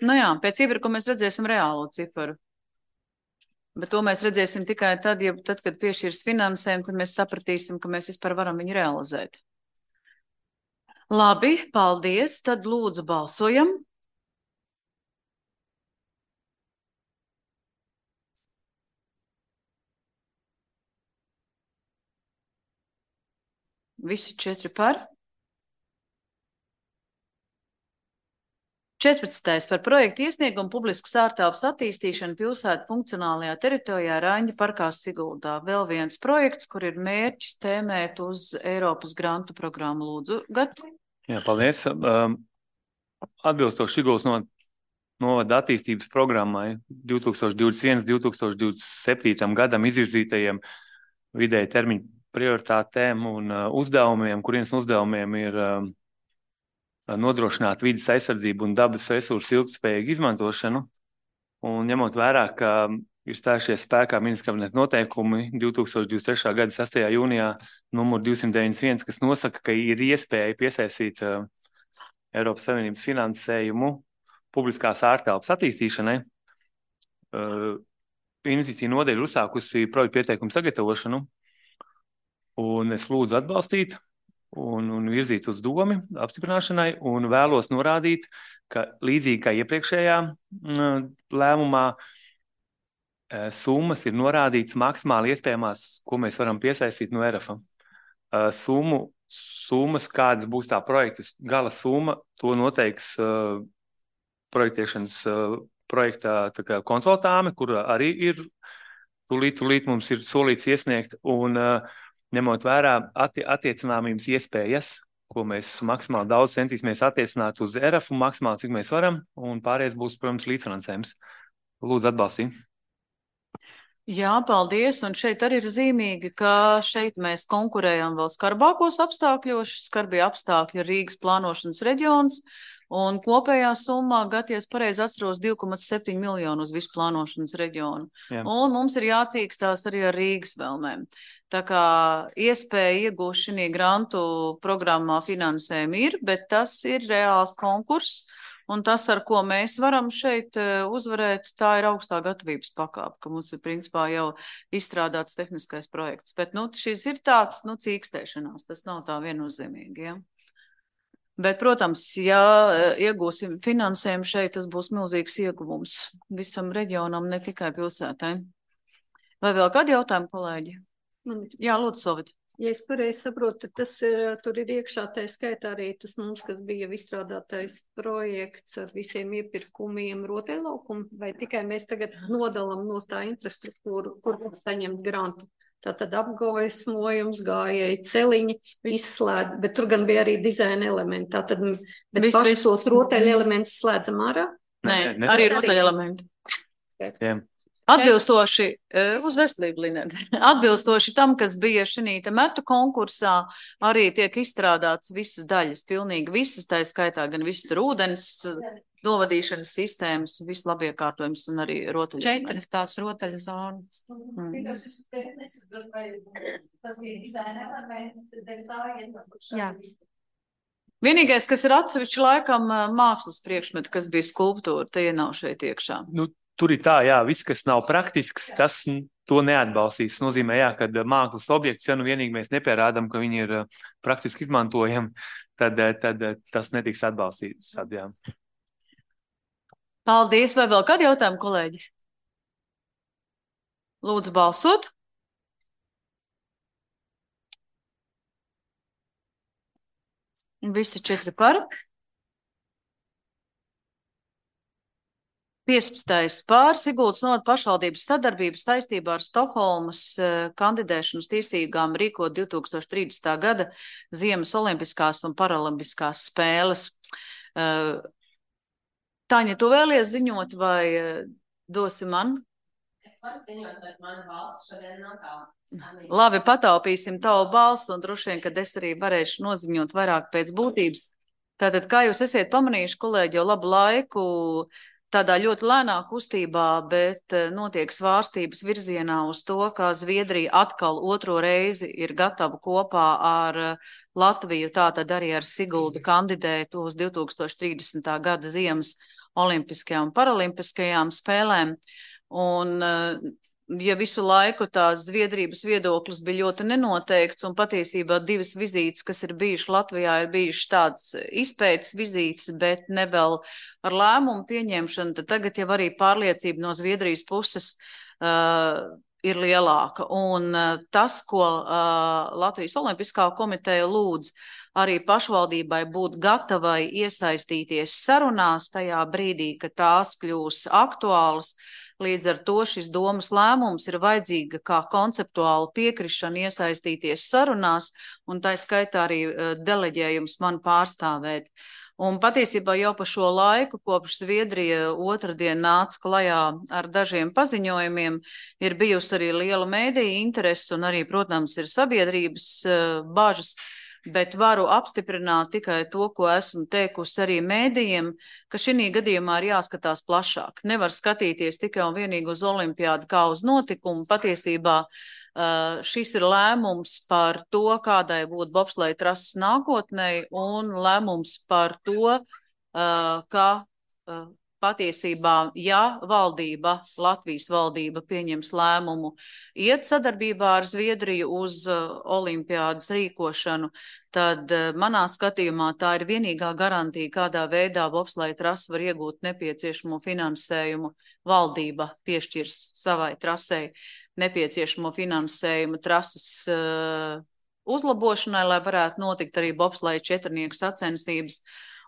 Nu jā, pēc iepirkuma mēs redzēsim reālo ciparu. Bet to mēs redzēsim tikai tad, ja, tad kad piešķirs finansējumu, tad mēs sapratīsim, ka mēs vispār varam viņu realizēt. Labi, paldies. Tad lūdzu balsojam. Visi četri par. četrpadsmitais par projektu iesniegumu publiskas ārtelpas attīstīšanu pilsētu funkcionālajā teritorijā Raņģa parkā Siguldā. Vēl viens projekts, kur ir mērķis tēmēt uz Eiropas grantu programmu. Lūdzu, Gati. Jā, paldies. Um, atbilstoši Siguldas no, novada attīstības programmai divtūkstoš divdesmit viens līdz divtūkstoš divdesmit septītajam gadam izvirzītajiem vidēji termiņu prioritātēm un uh, uzdevumiem, kurienes uzdevumiem ir um, nodrošināt vides aizsardzību un dabas resursu ilgtspējīgu izmantošanu. Un ņemot vērā, ka ir stājušies spēkā ministra kabineta noteikumi divtūkstoš divdesmit trešā gada sastajā jūnijā numur divsimt deviņdesmit viens, kas nosaka, ka ir iespēja piesaistīt uh, Eiropas Savienības finansējumu publiskās ārtelpas attīstīšanai. Uh, investīcija nodeļa uzsākusi projektu pieteikumu sagatavošanu, un es lūdzu atbalstīt un, un virzīt uz domi apstiprināšanai, un vēlos norādīt, ka līdzīgi kā iepriekšējā uh, lēmumā, uh, summas ir norādīts maksimāli iespējamās, ko mēs varam piesaistīt no E R A F. Uh, summu, summas, kādas būs tā projekta gala summa, to noteiks uh, projektēšanas uh, projektā tā kā kontroltāme, kur arī ir tūlīt, tūlīt mums ir solīts iesniegt, un uh, ņemot vērā atti attiecināmības iespējas, ko mēs maksimāli daudz centīsimies attiecināt uz E R A F un maksimāli, cik mēs varam, un pārējais būs, protams, līdzfinansējums. Lūdzu, atbalstīt. Jā, paldies, un šeit arī ir zīmīgi, ka šeit mēs konkurējam vēl skarbākos apstākļos, skarbie apstākļi ir Rīgas plānošanas reģions, un kopējā summā, Gaties pareizi atceros, divi komats septiņi miljonu uz visu plānošanas reģionu. Jā. Un mums ir jācīkstās arī ar Rīgas vēlmēm. Tā kā iespēja iegūt šī grantu programmā finansējumu ir, bet tas ir reāls konkurss, un tas, ar ko mēs varam šeit uzvarēt, tā ir augstā gatavības pakāpe, ka mums ir principā jau izstrādāts tehniskais projekts. Bet, nu, šis ir tāds, nu, cīkstēšanās, tas nav tā viennozīmīgi, ja. Bet, protams, ja iegūsim finansējumu šeit, tas būs milzīgs ieguvums visam reģionam, ne tikai pilsētai. Vai vēl kādi jautājumi, kolēģi? Jā, lūdzu, Sovit. Ja es pareizi saprotu, tas ir, tur ir iekšā tā skaitā arī tas mums, kas bija izstrādātais projekts ar visiem iepirkumiem rotaļlaukumu, vai tikai mēs tagad nodalam no tā infrastruktūru, kur mēs saņemt grantu? Tātad apgaismojums, gājēji celiņi, izslēd, bet tur gan bija arī dizaina elementi. Tātad, bet Viss, paši viss. tos rotaļu elementus slēdzam ārā? Nē, ne. arī rotaļu elementi. Jā. Atbilstoši, uz veselību, Linēt, atbilstoši tam, kas bija šī metu konkursā, arī tiek izstrādāts visas daļas, pilnīgi visas, tā skaitā gan visas tur ūdens, novadīšanas sistēmas, viss labiekārtojums un arī rotaļu. Četras tās rotaļu zonas. Mm. Jā. Vienīgais, kas ir atsevišķi laikam mākslas priekšmeti, kas bija skulptūra, tie nav šeit iekšā. Nu, tur ir tā, jā, viss, kas nav praktisks, tas to neatbalstīs. Nozīmē, jā, kad mākslas objekts, ja nu vienīgi mēs nepierādām, ka viņi ir praktiski izmantojami, tad, tad tas netiks atbalstīts. Tad, jā. Paldies, vai vēl kādi jautājumi, kolēģi? Lūdzu balsot. Visi četri par. piecpadsmitais pār Siguldas novada pašvaldības sadarbības saistībā ar Stokholmas uh, kandidēšanu uz tiesībām rīkot divi tūkstoši trīsdesmitā gada Ziemas olimpiskās un paralimpiskās spēles. Uh, Taņa, tu vēlies ziņot vai uh, dosi man? Es varu ziņot, bet mana balss šodien nav tā. Labi, pataupīsim tavu balsu un droši vien, kad es arī varēšu noziņot vairāk pēc būtības. Tātad, kā jūs esiet pamanījuši, kolēģi, jau labu laiku tādā ļoti lēnā kustībā, bet notiek svārstības virzienā uz to, ka Zviedrija atkal otro reizi ir gatava kopā ar Latviju, tātad arī ar Siguldu kandidēt uz divi tūkstoši trīsdesmitā gada Ziemas olimpiskajām un paralimpiskajām spēlēm. Un ja visu laiku tās Zviedrības viedoklis bija ļoti nenoteikts, un patiesībā divas vizītes, kas ir bijušas Latvijā, ir bijušas tādas izpētes vizītes, bet ne vēl ar lēmumu pieņemšanu, tad tagad jau arī pārliecība no Zviedrijas puses uh, ir lielāka. Un uh, tas, ko uh, Latvijas Olimpiskā komiteja lūdz arī pašvaldībai būt gatavai iesaistīties sarunās tajā brīdī, kad tās kļūs aktuālas. Līdz ar to šis domas lēmums ir vajadzīga kā konceptuāla piekrišana iesaistīties sarunās, un tā skaitā arī uh, deleģējums man pārstāvēt. Un patiesībā jau pa šo laiku, kopš Zviedrija otrdien nāca klajā ar dažiem paziņojumiem, ir bijusi arī liela mēdīja interese un arī, protams, ir sabiedrības uh, bažas, bet varu apstiprināt tikai to, ko esmu teikusi arī mēdījiem, ka šī gadījumā ir jāskatās plašāk. Nevar skatīties tikai un vienīgi uz olimpiādu kā uz notikumu. Patiesībā uh, šis ir lēmums par to, kādai būtu bobsleja trases nākotnē, un lēmums par to, uh, ka uh, patiesībā, ja valdība, Latvijas valdība pieņems lēmumu iet sadarbībā ar Zviedriju uz uh, olimpiādas rīkošanu, tad uh, manā skatījumā tā ir vienīgā garantija, kādā veidā bobsleja trase var iegūt nepieciešamo finansējumu. Valdība piešķirs savai trasei nepieciešamo finansējumu trases uh, uzlabošanai, lai varētu notikt arī bobsleja četrnieku sacensības.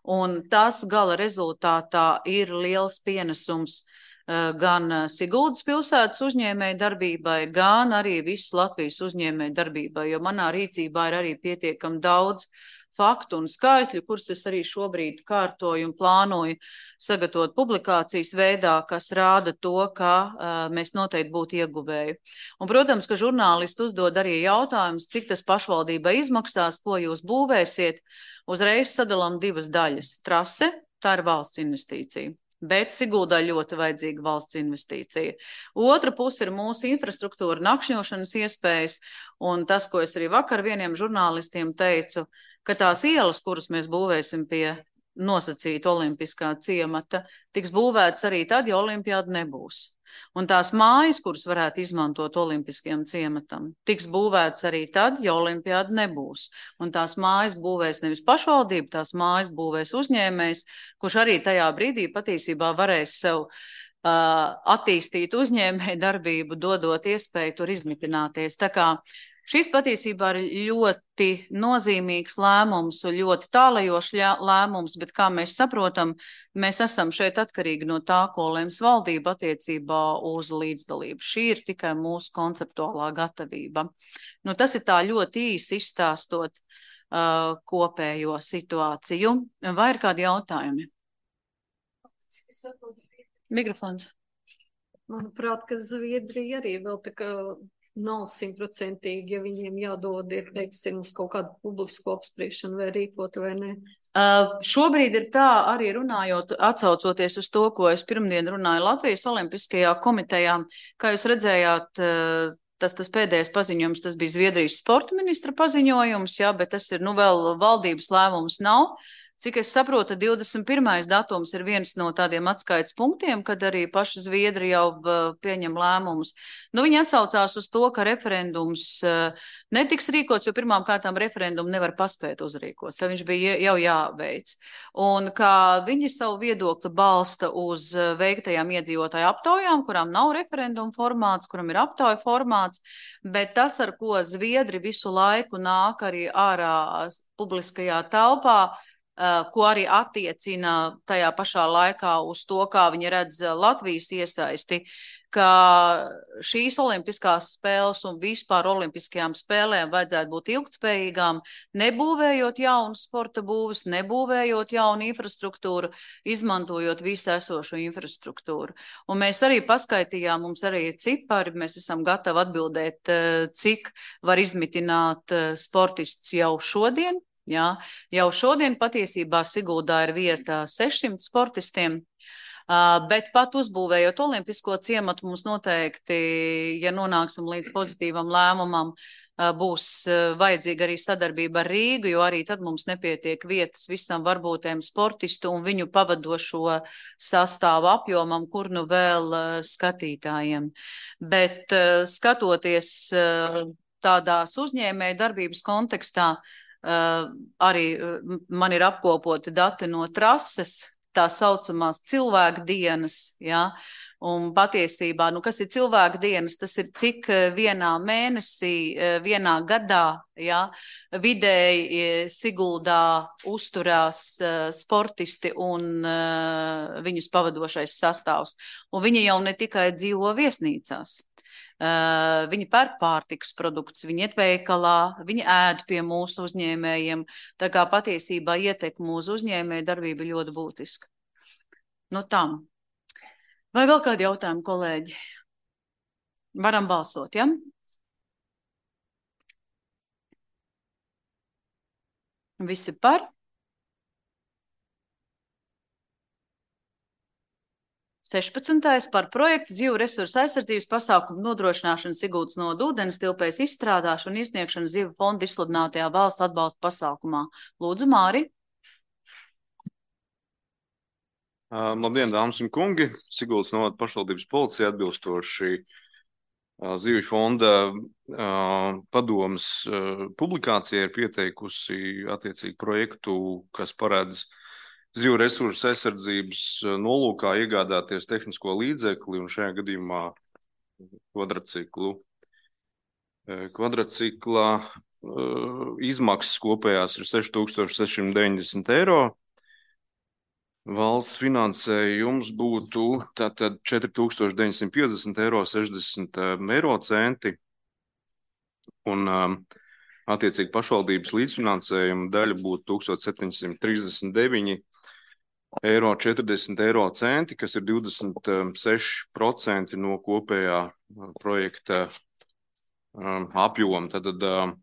Un tas gala rezultātā ir liels pienesums uh, gan Siguldas pilsētas uzņēmēju darbībai, gan arī visas Latvijas uzņēmēju darbībai, jo manā rīcībā ir arī pietiekami daudz faktu un skaitļu, kurus es arī šobrīd kārtoju un plānoju sagatavot publikācijas veidā, kas rāda to, ka uh, mēs noteikti būtu ieguvēji. Un, protams, ka žurnālisti uzdod arī jautājumus, cik tas pašvaldībai izmaksās, ko jūs būvēsiet. Uzreiz sadalām divas daļas. Trase, tā ir valsts investīcija, bet Siguldā ļoti vajadzīga valsts investīcija. Otra puse ir mūsu infrastruktūra, nakšņošanas iespējas, un tas, ko es arī vakar vieniem žurnālistiem teicu, ka tās ielas, kuras mēs būvēsim pie nosacīta olimpiskā ciemata, tiks būvēts arī tad, ja olimpiāda nebūs. Un tās mājas, kuras varētu izmantot olimpiskajam ciematam, tiks būvēts arī tad, ja olimpiāda nebūs. Un tās mājas būvēs nevis pašvaldība, tās mājas būvēs uzņēmējs, kurš arī tajā brīdī patiesībā varēs sev uh, attīstīt uzņēmēju darbību, dodot iespēju tur izmitināties. Tā kā šis patiesībā ir ļoti nozīmīgs lēmums un ļoti tālajošs lēmums, bet kā mēs saprotam, mēs esam šeit atkarīgi no tā, ko lems valdība attiecībā uz līdzdalību. Šī ir tikai mūsu konceptuālā gatavība. Nu, tas ir tā ļoti īsi izstāstot uh, kopējo situāciju. Vai ir kādi jautājumi? Mikrofons. Manuprāt, ka Zviedrija arī vēl tā kā nav simtprocentīgi, ja viņiem jādod ir, teiksim, uz kaut kādu publisku apspriešanu vai rīkot vai ne. Uh, šobrīd ir tā, arī runājot, atsaucoties uz to, ko es pirmdien runāju Latvijas Olimpiskajā komitejā, kā jūs redzējāt, uh, tas, tas pēdējais paziņojums, tas bija Zviedrijas sporta ministra paziņojums, jā, bet tas ir, nu, vēl valdības lēmums nav. Cik es saprotu, divdesmit pirmais datums ir viens no tādiem atskaites punktiem, kad arī paši Zviedri jau pieņem lēmumus. Nu, viņi atsaucās uz to, ka referendums netiks rīkots, jo pirmām kārtām referendumu nevar paspēt uzrīkot. Tad viņš bija jau jāveic. Un kā viņi savu viedokli balsta uz veiktajām iedzīvotāju aptaujām, kurām nav referendumu formāts, kuram ir aptauju formāts, bet tas, ar ko Zviedri visu laiku nāk arī ārā publiskajā telpā, ko arī attiecina tajā pašā laikā uz to, kā viņi redz Latvijas iesaisti, ka šīs olimpiskās spēles un vispār olimpiskajām spēlēm vajadzētu būt ilgtspējīgām, nebūvējot jaunu sporta būvis, nebūvējot jaunu infrastruktūru, izmantojot visu esošo infrastruktūru. Un mēs arī paskaitījām, mums arī ir cipari, mēs esam gatavi atbildēt, cik var izmitināt sportists jau šodien. Jā, jau šodien patiesībā Siguldā ir vieta sešsimt sportistiem, bet pat uzbūvējot olimpisko ciematu mums noteikti, ja nonāksim līdz pozitīvam lēmumam, būs vajadzīga arī sadarbība ar Rīgu, jo arī tad mums nepietiek vietas visam varbūtējiem sportistu un viņu pavadošo sastāvu apjomam, kur nu vēl skatītājiem. Bet skatoties tādās uzņēmēju darbības kontekstā, Uh, arī uh, man ir apkopoti dati no trases. tā saucamās cilvēku dienas, ja? Un patiesībā, nu, kas ir cilvēku dienas, tas ir cik vienā mēnesī, vienā gadā, ja, vidēji Siguldā uzturās sportisti un uh, viņus pavadošais sastāvs. Un viņi jau ne tikai dzīvo viesnīcās. Uh, viņi pērk pārtikas produktus, viņi iet veikalā, viņi ēd pie mūsu uzņēmējiem. Tā kā patiesībā ietekme uz uzņēmēju darbību ļoti būtiska. Nu tam. Vai vēl kādi jautājumi, kolēģi? Varam balsot, ja? Visi par? sešpadsmitais par projektu zivu resursu aizsardzības pasākumu nodrošināšanu Siguldas nodu ūdens tilpēs izstrādāšanu un iesniegšanu zivu fonda izsludinātajā valsts atbalsta pasākumā. Lūdzu, Māri. Uh, labdien, dāmas un kungi! Siguldas novada pašvaldības policija atbilstoši uh, Zivju fonda uh, padomas uh, publikācijai ir pieteikusi attiecīgi projektu, kas paredz zivju resursu aizsardzības nolūkā iegādāties tehnisko līdzekli un šajā gadījumā kvadraciklu. Kvadracikla uh, izmaksas kopējās ir seši tūkstoši seši simti deviņdesmit eiro. Valsts finansējums būtu tātad četri tūkstoši deviņsimt piecdesmit eiro sešdesmit eiro centi un um, attiecīgi pašvaldības līdzfinansējuma daļa būtu tūkstoš septiņsimt trīsdesmit deviņi eiro četrdesmit eiro centi, kas ir divdesmit seši procenti no kopējā projekta um, apjoma. Tātad um,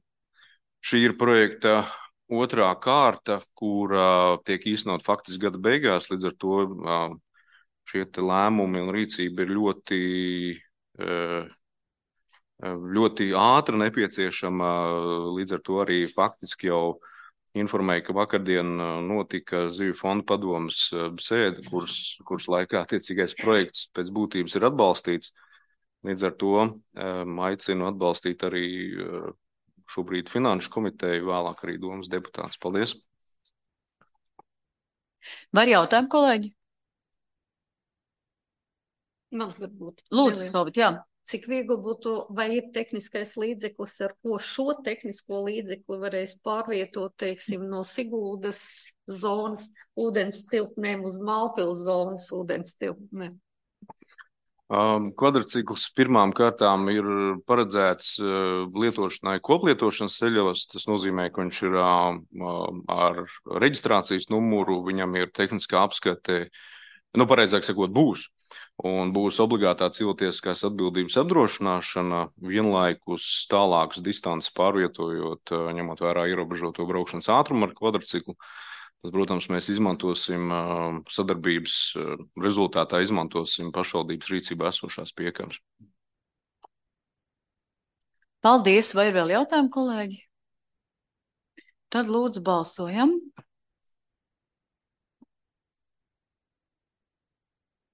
šī ir projekta otrā kārta, kur uh, tiek īstenot faktiski gada beigās, līdz ar to uh, šie te lēmumi un rīcība ir ļoti, uh, ļoti ātra nepieciešama, līdz ar to arī faktiski jau informēja, ka vakardien notika Zivju fonda padomas sēde, kuras, kuras laikā attiecīgais projekts pēc būtības ir atbalstīts. Līdz ar to um, aicinu atbalstīt arī uh, šobrīd finanšu komiteju, vēlāk arī domas deputāts. Paldies! Var jautājumu, kolēģi? Man varbūt. Lūdzu, Solvit, jā. Cik viegli būtu, vai ir tehniskais līdzeklis, ar ko šo tehnisko līdzekli varēs pārvietot, teiksim, no Siguldas zonas ūdens tilpnēm uz Malpils zonas ūdens tilpnēm? Um, Kvadracikls pirmām kārtām ir paredzēts uh, lietošanai koplietošanas ceļos. Tas nozīmē, ka viņš ir uh, ar reģistrācijas numuru, viņam ir tehniskā apskate, nu pareizāk sakot, būs. Un būs obligātā cilvēktiesiskās atbildības apdrošināšana, vienlaikus tālākas distances pārvietojot, uh, ņemot vērā ierobežoto braukšanas ātrumu ar kvadraciklu. Tad, protams, mēs izmantosim sadarbības rezultātā, izmantosim pašvaldības rīcībā esošās piekabes. Paldies! Vai ir vēl jautājumi, kolēģi? Tad lūdzu balsojam.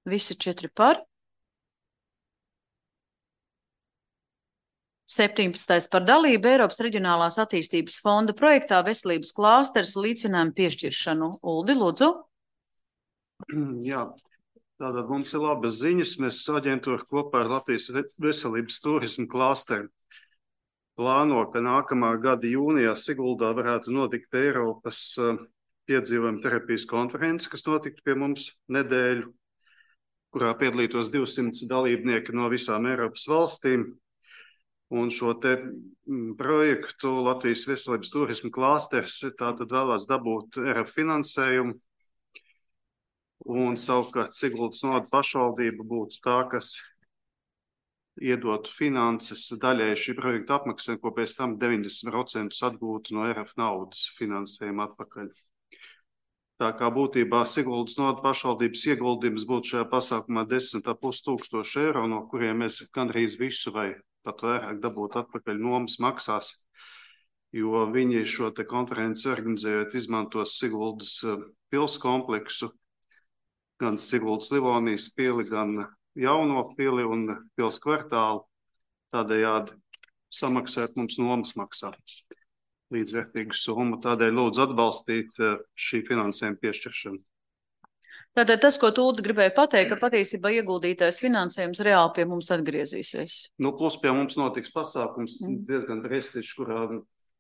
Visi četri par. septiņpadsmitais par dalību Eiropas Reģionālās attīstības fonda projektā Veselības klāsteris līdzfinansējumu piešķiršanu. Uldi, lūdzu. Jā, tātad mums ir labas ziņas. Mēs aģentūra kopā ar Latvijas Veselības turismu klāsteri plāno, ka nākamā gada jūnijā Siguldā varētu notikt Eiropas piedzīvojuma terapijas konference, kas notiktu pie mums nedēļu, kurā piedalītos divsimt dalībnieki no visām Eiropas valstīm. Un šo te projektu Latvijas Veselības turismu klāsteris tātad vēlās dabūt R F finansējumu. Un savukārt Siguldas novada pašvaldība būtu tā, kas iedotu finanses daļai šī projekta apmaksai, ko pēc tam deviņdesmit procenti atgūtu no R F naudas finansējuma atpakaļ. Tā kā būtībā Siguldas novada pašvaldības ieguldījums būtu šajā pasākumā desmit ar pus tūkstoši eiro, no kuriem mēs gandrīz visu vai pat vairāk dabūt atpakaļ nomas maksās, jo viņi šo te konferenci organizējot izmantos Siguldas pils kompleksu, gan Siguldas Livonijas pili, gan jauno pili un pils kvartālu, tādējādi samaksāt mums nomas maksā līdzvērtīgu summu. Tādēļ lūdzu atbalstīt šī finansējuma piešķiršanu. Tātad tas, ko Tūda gribēja pateikt, ka patiesībā ieguldītais finansējums reāli pie mums atgriezīsies. Nu, plus pie mums notiks pasākums mm. diezgan prestižs, kurā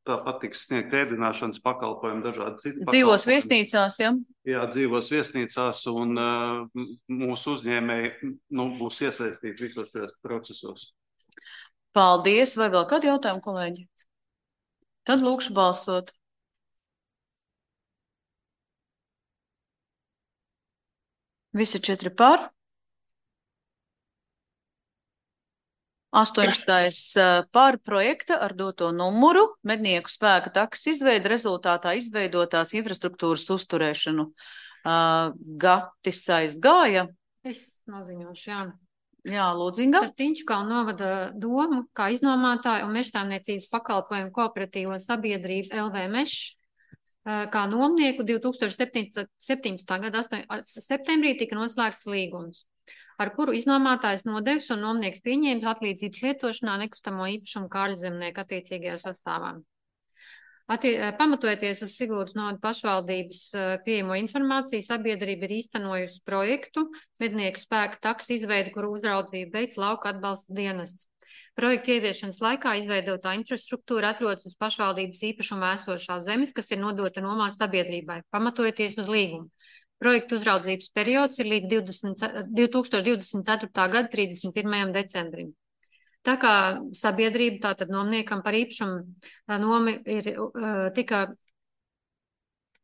tāpat tiks sniegt ēdināšanas pakalpojumi, dažādi citi pakalpojumi. Dzīvos viesnīcās, ja? Jā, dzīvos viesnīcās, un uh, mūsu uzņēmēji nu, būs iesaistīti visos šajos procesos. Paldies. Vai vēl kādi jautājumi, kolēģi? Tad lūkšu balsot. Visi četri par. astoņdesmitais par projekta ar doto numuru mednieku spēka takas izveida rezultātā izveidotās infrastruktūras uzturēšanu. Uh, Gatis aizgāja. Es noziņošu, jā. Jā, Lūdzinga. Ar Tiņškalnu novada domu, kā iznomātāju un mežsaimniecības pakalpojumu kooperatīvo sabiedrību L V Mešs, kā nomnieku divi tūkstoši septiņpadsmitā gada septembrī tika noslēgts līgums, ar kuru iznomātājs nodevis un nomnieks pieņēmis atlīdzības lietošanā nekustamo īpašumu kārļzemnieku attiecīgajā sastāvā. Attie, pamatojoties uz Siguldas novada pašvaldības pieejamo informāciju, sabiedrība ir īstenojusi projektu mednieku spēka takas izveidi, kuru uzraudzību veids lauka atbalsta dienests. Projekta ieviešanas laikā izveidotā infrastruktūra atrodas uz pašvaldības īpašumā esošās zemes, kas ir nodota nomā sabiedrībai, pamatojoties uz līgumu. Projekta uzraudzības periods ir līdz divi tūkstoši divdesmit ceturtā gada trīsdesmit pirmajam decembrim. Tā kā sabiedrība tātad nomniekam par īpašumu nomi ir tika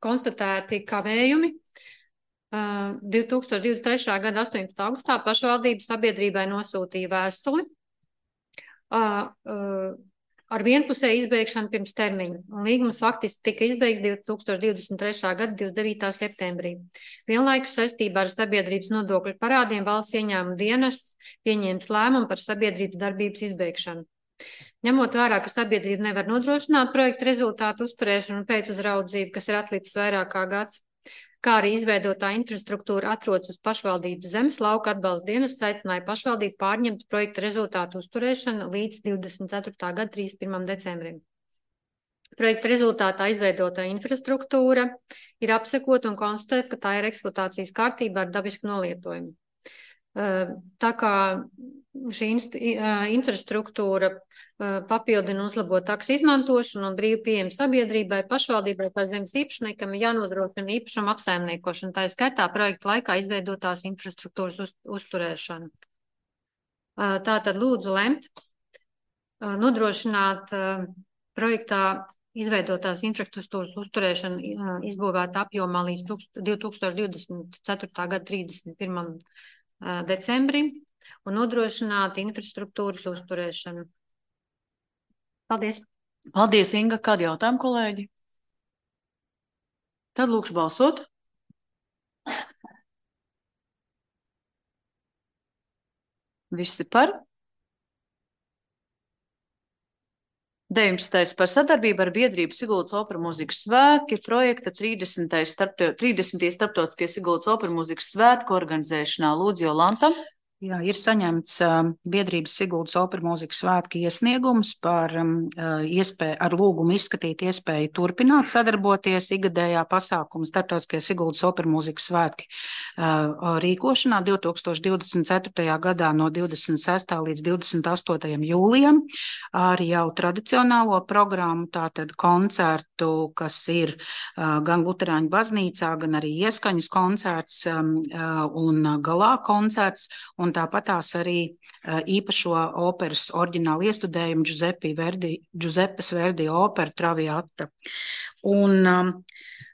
konstatēti kavējumi, divi tūkstoši divdesmit trešā gada astoņpadsmitā augustā pašvaldība sabiedrībai nosūtīja vēstuli ar vienpusēju izbeigšanu pirms termiņa. Un līgums faktiski tika izbeigts divi tūkstoši divdesmit trešā gada divdesmit devītā septembrī. Vienlaikus saistībā ar sabiedrības nodokļu parādiem valsts ieņēmuma dienests pieņēmis lēmumu par sabiedrības darbības izbeigšanu. Ņemot vērā, ka sabiedrība nevar nodrošināt projektu rezultātu uzturēšanu un pēcuzraudzību, kas ir atlicis vairāk kā gads, kā arī izveidotā infrastruktūra atrodas uz pašvaldības zemes, lauka atbalsta dienests aicināja pašvaldību pārņemt projekta rezultātu uzturēšanu līdz divdesmit ceturtā gada trīsdesmit pirmajam decembrim. Projekta rezultātā izveidotā infrastruktūra ir apsekota un konstatēta, ka tā ir eksploatācijas kārtībā ar dabisku nolietojumu. Tā kā šī infrastruktūra papildina uzlabot takas izmantošanu un brīvu pieejamu sabiedrībai, pašvaldībai vai zemes īpašniekam ir jānodrošina īpašuma apsaimniekošana, tā ir skaitā projekta laikā izveidotās infrastruktūras uz, uzturēšanu. Tātad lūdzu lemt, nodrošināt projektā izveidotās infrastruktūras uzturēšanu izbūvēta apjomā līdz divi tūkstoši divdesmit ceturtā gada trīsdesmit pirmajam decembrim un nodrošināt infrastruktūras uzturēšanu. Paldies. Paldies, Inga. Kādi jautājumi, kolēģi? Tad lūkšu balsot. Visi par? deviņpadsmitais par sadarbību ar biedrību Siguldas opera mūzikas svētki projekta trīsdesmitais starptautiskie Siguldas opera mūzikas svētku organizēšanā. Lūdzu, Jolanta. Jā, ir saņemts uh, biedrības Siguldas opera mūzikas svētki iesniegums par um, iespēju, ar lūgumu izskatīt iespēju turpināt sadarboties igadējā pasākuma starptautiskie Siguldas opera mūzikas svētki uh, rīkošanā divi tūkstoši divdesmit ceturtajā gadā no divdesmit sestā līdz divdesmit astotajam jūlijam ar jau tradicionālo programmu, tātad koncertu, kas ir uh, gan Luterāņu baznīcā, gan arī ieskaņas koncerts um, uh, un galā koncerts. Un tāpatās arī uh, īpašo operas oriģinālu iestudējumu Giuseppe Verdi, Giuseppes Verdi opera Traviata. Un um,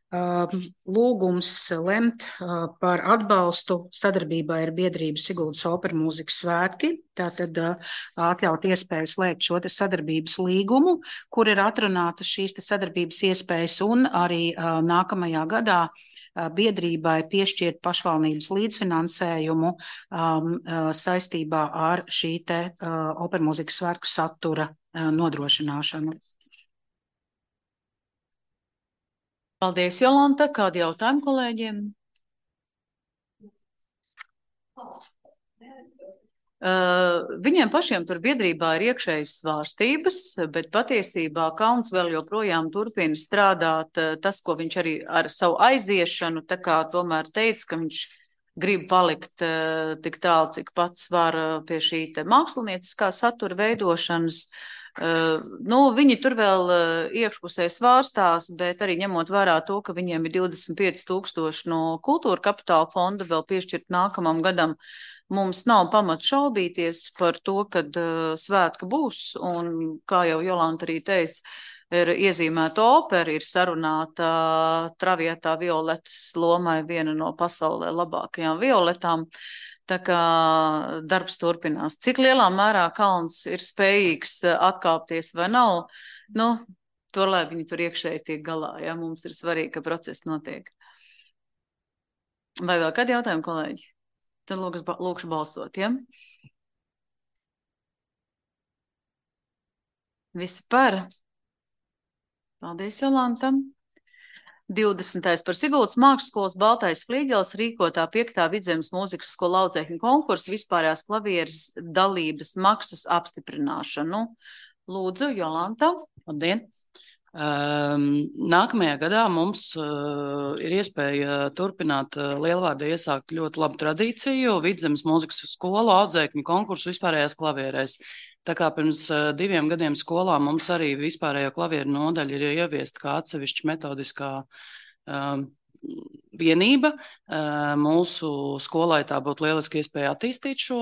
uh, lūgums lemt uh, par atbalstu sadarbībai ar biedrību Siguldas opera mūzikas svētki, tātad uh, atļaut iespēju slēgt šo te sadarbības līgumu, kur ir atrunātas šīs te sadarbības iespējas un arī uh, nākamajā gadā biedrībai piešķirt pašvaldības līdzfinansējumu um, saistībā ar šī te uh, opera mūzikas svētku satura uh, nodrošināšanu. Paldies, Jolanta. Kādi jautājumi kolēģiem? Uh, viņiem pašiem tur biedrībā ir iekšējas svārstības, bet patiesībā Kalns vēl joprojām turpina strādāt uh, tas, ko viņš arī ar savu aiziešanu, tā kā tomēr teica, ka viņš grib palikt uh, tik tālu, cik pats var uh, pie šī te mākslinieciskā satura veidošanas. Uh, nu, viņi tur vēl uh, iekšpusē svārstās, bet arī ņemot vērā to, ka viņiem ir divdesmit pieci tūkstoši no kultūra kapitāla fonda vēl piešķirt nākamam gadam, mums nav pamata šaubīties par to, kad uh, svētka būs, un kā jau Jolanta arī teica, ir iezīmēta opera, ir sarunāta Traviatā Violetas lomai viena no pasaulē labākajām violetām. Tā kā darbs turpinās. Cik lielā mērā Kalns ir spējīgs atkāpties vai nav, nu, to, lai viņi tur iekšēji tiek galā, ja mums ir svarīgi, ka process notiek. Vai vēl kādi jautājumi, kolēģi? Tad lūkšu, lūkšu balsot, ja? Visi par? Paldies, Jolanta. divdesmitais par Siguldas mākslas Baltais flīģels rīkotā piektā Vidzemes mūzikas skola audzēkņu konkursu vispārējās klavieres dalības maksas apstiprināšanu. Lūdzu, Jolanta. Labdien. Um, nākamajā gadā mums uh, ir iespēja turpināt uh, Lielvārdā iesākt ļoti labu tradīciju Vidzemes mūzikas skola audzēkņu konkursu vispārējās klavierēs. Tā kā pirms uh, diviem gadiem skolā mums arī vispārējo klavieru nodaļa ir ieviesta kā atsevišķa metodiskā um, vienība. Uh, mūsu skolai tā būtu lieliski iespēja attīstīt šo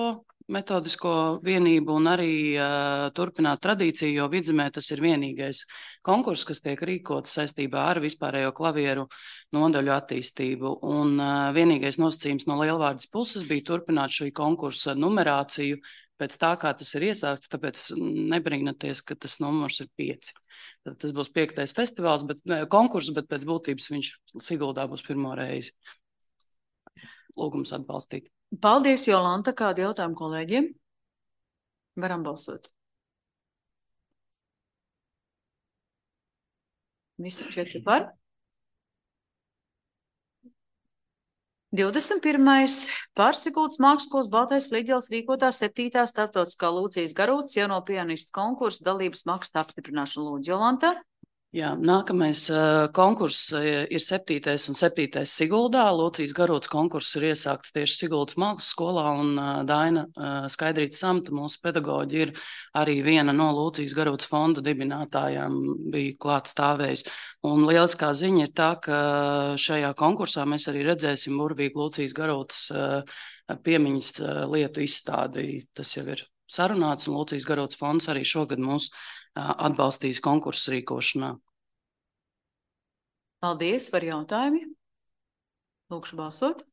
metodisko vienību un arī uh, turpināt tradīciju, jo Vidzemē tas ir vienīgais konkurss, kas tiek rīkots saistībā ar vispārējo klavieru nodaļu attīstību. Un uh, vienīgais nosacījums no Lielvārdas puses bija turpināt šī konkursa numerāciju pēc tā, kā tas ir iesākts, tāpēc nebrīnaties, ka tas numurs ir pieci. Tad tas būs piektais festivāls, bet konkurss, bet pēc būtības viņš Siguldā būs pirmo reizi. Lūgums atbalstīt. Paldies, Jolanta. Kādi jautājumi kolēģiem? Varam balsot. Visi četri par. divdesmit pirmais par Siguldas mākslas Baltais flīģels rīkotā septītā starptautiskā Lūcijas Garūtas jauno pianistu konkursu dalības maksas apstiprināšanu. Lūdzu, Jolanta. Jā, nākamais uh, konkurss ir septītais un septītais Siguldā. Lūcijas Garūtas konkurss ir iesākts tieši Siguldas mākslas skolā, un uh, Daina uh, Skaidrīta Samta, mūsu pedagoģi, ir arī viena no Lūcijas Garūtas fonda dibinātājām, bija klāt stāvējis. Un lieliskā ziņa ir tā, ka šajā konkursā mēs arī redzēsim burvīgu Lūcijas Garūtas uh, piemiņas uh, lietu izstādi. Tas jau ir sarunāts, un Lūcijas Garūtas fonds arī šogad mūs atbalstīs konkursu rīkošanā. Paldies, var jautājumi? Lūkšu balsot.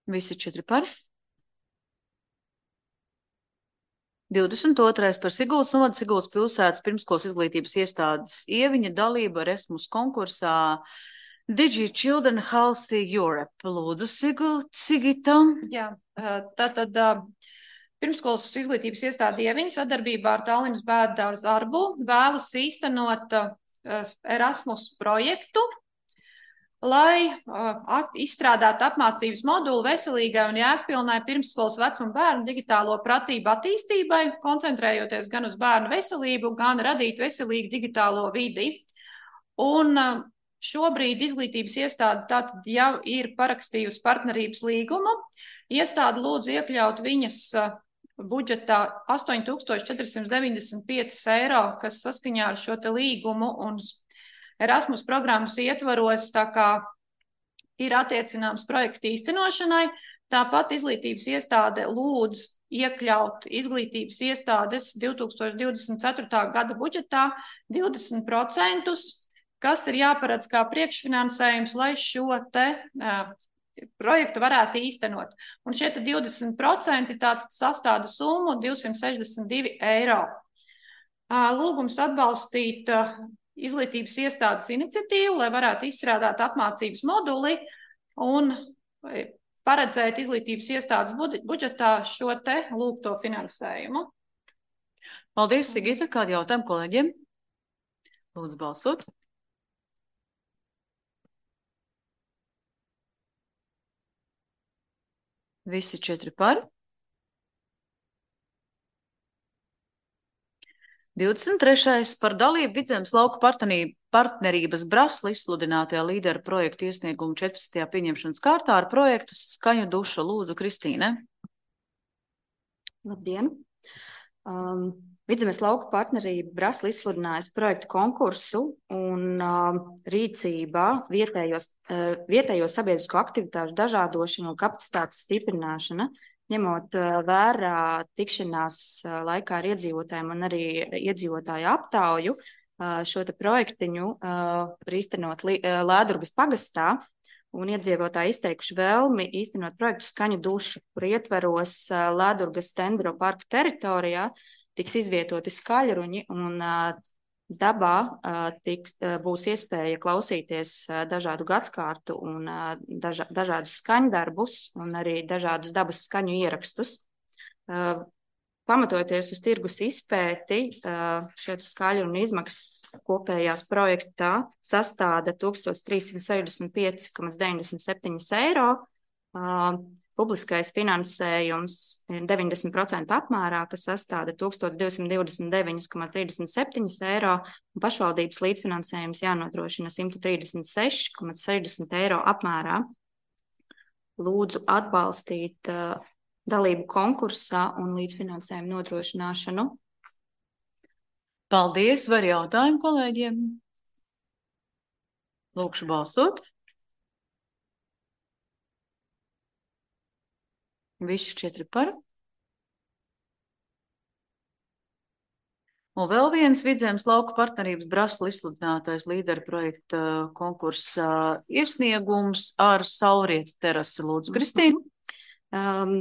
Visi četri par. divdesmit otrais par Siguldas novada Siguldas pilsētas pirmskolas izglītības iestādes ieviņa dalība Erasmus konkursā Digi Children Halsey Europe. Lūdzu, Sigita. Jā, tātad pirmskolas izglītības iestāde ieviņa sadarbībā ar Tallinas bērnu dārza Arbu vēlas īstenot Erasmus projektu, lai at, izstrādātu apmācības moduli veselīgai un jēgpilnai pirmsskolas vecuma bērnu digitālo pratību attīstībai, koncentrējoties gan uz bērnu veselību, gan radīt veselīgu digitālo vidi. Un šobrīd izglītības iestāde tātad jau ir parakstījusi partnerības līgumu. Iestāde lūdzu iekļaut viņas budžetā astoņi tūkstoši četri simti deviņdesmit pieci eiro, kas saskaņā ar šo te līgumu un Erasmus programmas ietvaros, tā kā ir attiecināms projekta īstenošanai. Tāpat izglītības iestāde lūdz iekļaut izglītības iestādes divi tūkstoši divdesmit ceturtā gada budžetā divdesmit procentus, kas ir jāparedz kā priekšfinansējums, lai šo te uh, projektu varētu īstenot. Un šie te divdesmit procenti tātad sastāda summu divsimt sešdesmit divi eiro. Uh, lūgums atbalstīt uh, izglītības iestādes iniciatīvu, lai varētu izstrādāt apmācības moduli un paredzēt izglītības iestādes budžetā šo te lūgto finansējumu. Paldies, Sigita. Kādi jautājumi kolēģiem? Lūdzu balsot. Visi četri par. divdesmit trešais par dalību Vidzemes lauku partnerī- partnerības Brasla izsludinātajā līderu projektu iesniegumu četrpadsmitajā pieņemšanas kārtā ar projektu Skaņu duša. Lūdzu, Kristīne. Labdien! Um, Vidzemes lauku partnerība Brasla izsludinājusi projektu konkursu un uh, rīcībā vietējos, uh, vietējo sabiedrisko aktivitāšu dažādošana un kapacitātes stiprināšana, ņemot uh, vērā tikšanās uh, laikā ar iedzīvotājiem un arī iedzīvotāju aptauju, uh, šo te projektiņu uh, var īstenot Li- uh, Lēdurgas pagastā, un iedzīvotāji izteikuši vēlmi īstenot projektu Skaņu duša, kur ietveros uh, Lēdurgas Tendro parka teritorijā tiks izvietoti skaļruņi un uh, dabā uh, tiks, uh, būs iespēja klausīties uh, dažādu gadskārtu un uh, daža, dažādus skaņdarbus un arī dažādus dabas skaņu ierakstus. Uh, Pamatojoties uz tirgus izpēti, uh, šie skaļrunu izmaksas kopējās projektā sastāda tūkstoš trīs simt sešdesmit pieci komats deviņdesmit septiņi eiro. Uh, Publiskais finansējums ir deviņdesmit procenti apmērā, kas sastāda tūkstoš divsimt divdesmit deviņi komats trīsdesmit septiņi eiro, un pašvaldības līdzfinansējums jānodrošina simt trīsdesmit seši komats sešdesmit eiro apmērā. Lūdzu atbalstīt uh, dalību konkursā un līdzfinansējumu nodrošināšanu. Paldies, var jautājumu kolēģiem? Lūkšu balsot. Visi četri par. Un vēl viens Vidzemes lauku partnerības Brasla izsludinātais līderu projekta konkursa iesniegums ar saulrietu terasi. Lūdzu, Kristīna. Um,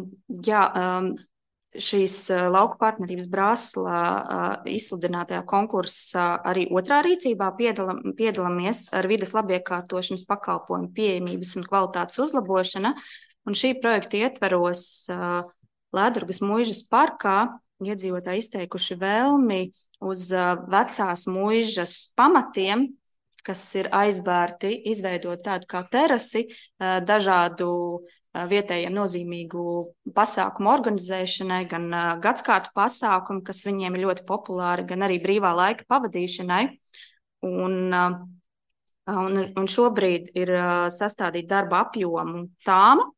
jā, um, šīs uh, lauku partnerības Brasla uh, izsludinātajā konkursā arī otrā rīcībā piedalam, piedalāmies ar vides labiekārtošanas pakalpojumu pieejamības un kvalitātes uzlabošana. Un šī projekta ietveros uh, Lēdurgas muižas parkā iedzīvotāji izteikuši vēlmi uz uh, vecās muižas pamatiem, kas ir aizbērti, izveidot tādu kā terasi uh, dažādu uh, vietējiem nozīmīgu pasākumu organizēšanai, gan uh, gadskārtu pasākumu, kas viņiem ir ļoti populāri, gan arī brīvā laika pavadīšanai. Un, uh, un, un šobrīd ir uh, sastādīta darba apjomu tāma,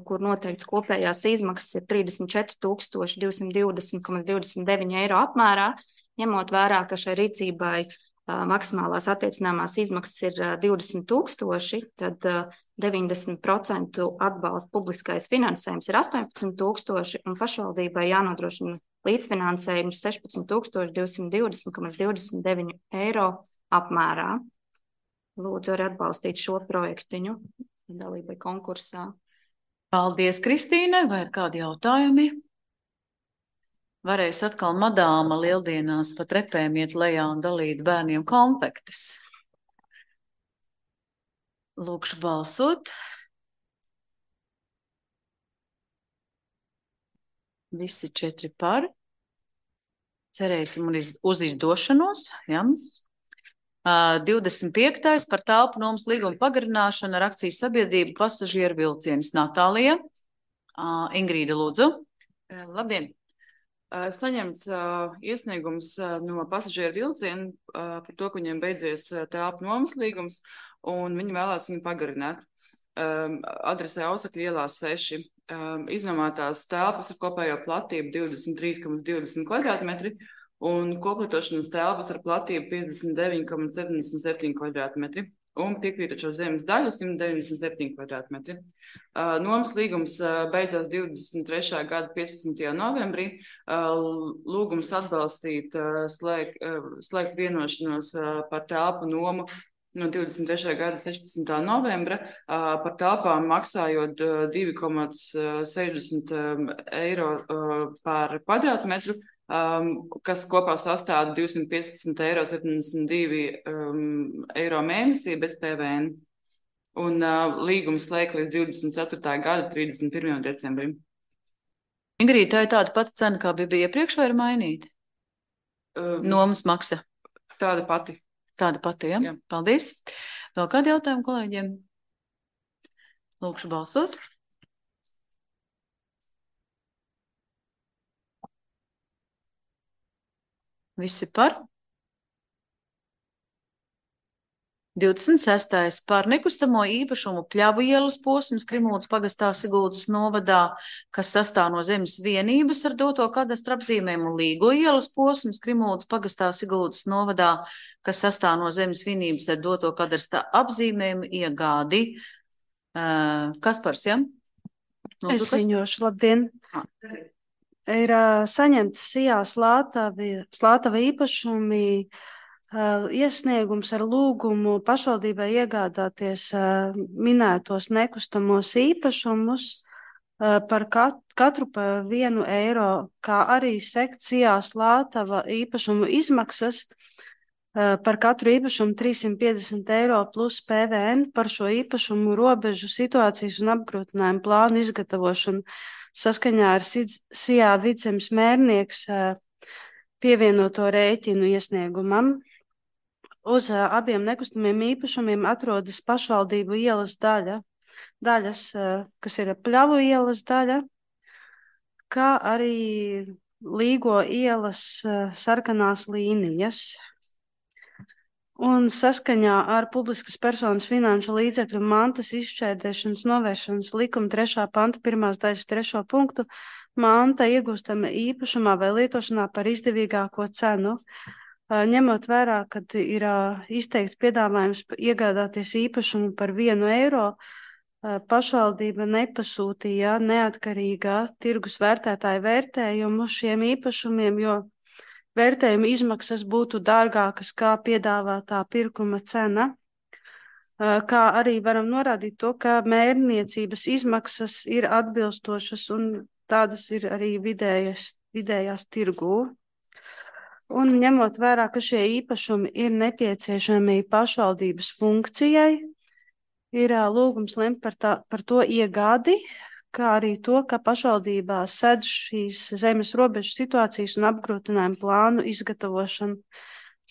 kur noteikts kopējās izmaksas ir trīsdesmit četri tūkstoši divsimt divdesmit komats divdesmit deviņi eiro apmērā, ņemot vērā, ka šai rīcībai uh, maksimālās attiecināmās izmaksas ir uh, divdesmit tūkstoši, tad uh, deviņdesmit procenti atbalsta publiskais finansējums ir astoņpadsmit tūkstoši, un pašvaldībai jānodrošina līdzfinansējums sešpadsmit tūkstoši divsimt divdesmit komats divdesmit deviņi eiro apmērā. Lūdzu arī atbalstīt šo projektiņu dalībai konkursā. Paldies, Kristīne. Vai ir kādi jautājumi? Varēs atkal madāma lieldienās pa trepēm iet lejā un dalīt bērniem konfektes. Lūkšu balsot. Visi četri par. Cerēsim uz izdošanos. Ja? Uh, divdesmit piektais par telpu nomas līguma pagarināšanu ar akcijas sabiedrību pasažieru vilcienis. Natālija. Uh, Ingrīda, lūdzu. Labdien! Uh, saņemts uh, iesniegums uh, no pasažieru vilcienu uh, par to, ka viņiem beidzies uh, telpu nomas līgums, un viņi vēlās viņu pagarināt. Um, adresē Ausakļu ielā seši. Um, iznomātās telpas ar kopējo platību divdesmit trīs komats divdesmit kvadrātmetri, un koplietošanas telpas ar platību piecdesmit deviņi komats septiņdesmit septiņi kvadrātmetri un piekrītošo zemes daļu simt deviņdesmit septiņi kvadrātmetri. Uh, nomas līgums uh, beidzās divdesmit trešā gada piecpadsmitajā novembrī. Uh, lūgums atbalstīt uh, slēgt, uh, slēgt vienošanos uh, par telpu nomu no divdesmit trešā gada sešpadsmitā novembra uh, par telpām maksājot uh, divi komats sešdesmit eiro uh, par kvadrātmetru, Um, kas kopā sastāda divsimt piecpadsmit eiro septiņdesmit divi um, eiro mēnesī bez P V N. Un uh, līgums slēgt līdz divdesmit ceturtā gada trīsdesmit pirmajam decembrim. Ingrīda, tā ir tāda pati cena, kā bija iepriekš, vai ir mainīta? Um, Nomas maksa. Tāda pati. Tāda pati, ja? Jā. Paldies. Vēl kādi jautājumi kolēģiem? Lūkšu balsot. Visi par? divdesmit sestais par nekustamo īpašumu Pļavu ielas posms Krimūdas pagastā Siguldas novadā, kas sastāv no zemes vienības ar doto kadastra apzīmējumu, Līgo ielas posms Krimūdas pagastā Siguldas novadā, kas sastāv no zemes vienības ar doto kadastra apzīmējumu, iegādi. Uh, Kaspars, ja? Es ziņošu, labdien. Ir uh, saņemts sijā Slātavi, Slātava īpašumi uh, iesniegums ar lūgumu pašvaldībai iegādāties uh, minētos nekustamos īpašumus uh, par kat, katru par vienu eiro, kā arī sekt sijā Slātava īpašumu izmaksas uh, par katru īpašumu trīssimt piecdesmit eiro plus P V N par šo īpašumu robežu situācijas un apgrūtinājumu plānu izgatavošanu. Saskaņā ar sijā Vidzemes mērnieks pievienoto rēķinu iesniegumam. Uz abiem nekustamiem īpašumiem atrodas pašvaldību ielas daļa, daļas, kas ir Pļavu ielas daļa, kā arī Līgo ielas sarkanās līnijas. Un saskaņā ar publiskas personas finanšu līdzekļu mantas izšķērdēšanas novēršanas likuma trešā panta pirmās daļas trešo punktu manta iegūstama īpašumā vai lietošanā par izdevīgāko cenu. Ņemot vērā, kad ir izteikts piedāvājums iegādāties īpašumu par vienu eiro, pašvaldība nepasūtīja neatkarīgā tirgus vērtētāja vērtējumu šiem īpašumiem, jo vērtējuma izmaksas būtu dārgākas kā piedāvātā pirkuma cena, kā arī varam norādīt to, ka mērniecības izmaksas ir atbilstošas un tādas ir arī vidējas, vidējās tirgū. Un ņemot vērā, ka šie īpašumi ir nepieciešami pašvaldības funkcijai, ir lūgums lemt par, tā, par to iegādi, kā arī to, ka pašvaldībā sedz šīs zemes robežu situācijas un apgrūtinājumu plānu izgatavošanu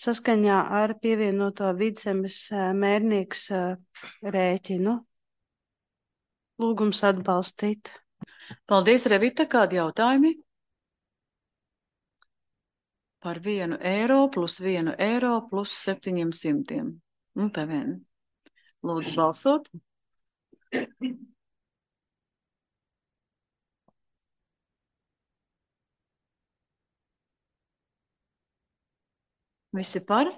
saskaņā ar pievienoto Vidzemes mērnieks rēķinu. Lūgums atbalstīt. Paldies, Revita. Kādi jautājumi? Par vienu eiro plus vienu eiro plus septiņiem simtiem. Un P V N. Lūdzu balsot. Visi par?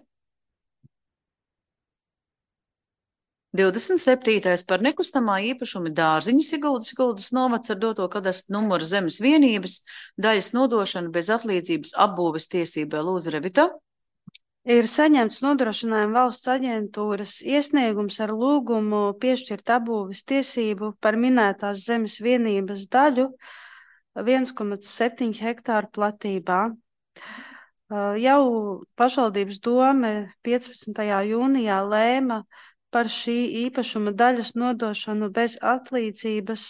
divdesmit septītais par nekustamā īpašuma dārziņu Siguldas, Siguldas novads ar doto kadastru numuru zemes vienības, daļas nodošana bez atlīdzības apbūves tiesībai. Lūdzu, Revita. Ir saņemts nodrošinājuma valsts aģentūras iesniegums ar lūgumu piešķirt apbūves tiesību par minētās zemes vienības daļu viens komats septiņi hektāru platībā. Jau pašvaldības dome piecpadsmitajā jūnijā lēma par šī īpašuma daļas nodošanu bez atlīdzības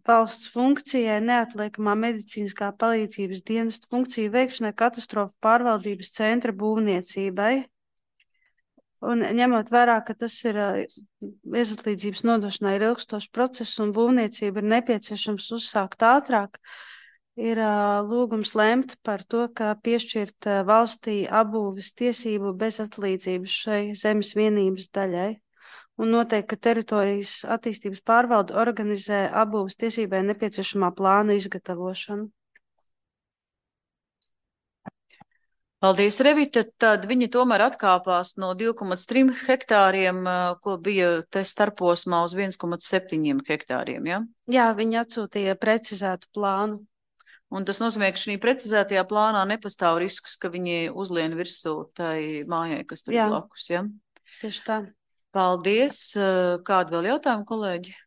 valsts funkcijai neatliekamā medicīniskā palīdzības dienesta funkciju veikšanai katastrofu pārvaldības centra būvniecībai. Un ņemot vērā, ka tas ir bezatlīdzības nodošanai ir ilgstošs process un būvniecība ir nepieciešams uzsākt ātrāk, ir uh, lūgums lemt par to, ka piešķirt uh, valstī apbūves tiesību bez atlīdzības šai zemes vienības daļai un noteikt, ka teritorijas attīstības pārvalde organizē apbūves tiesībai nepieciešamā plāna izgatavošanu. Paldies, Revita. Tad viņi tomēr atkāpās no divi komats trīs hektāriem, ko bija te starposmā uz viens komats septiņi hektāriem, ja? Jā, viņi atsūtīja precizētu plānu. Un tas nozīmē, ka šī precizētajā plānā nepastāv risks, ka viņi uzlien virsū tai mājai, kas tur ir blakus, ja? Tieši tā. Paldies. Kādu vēl jautājumu, kolēģi?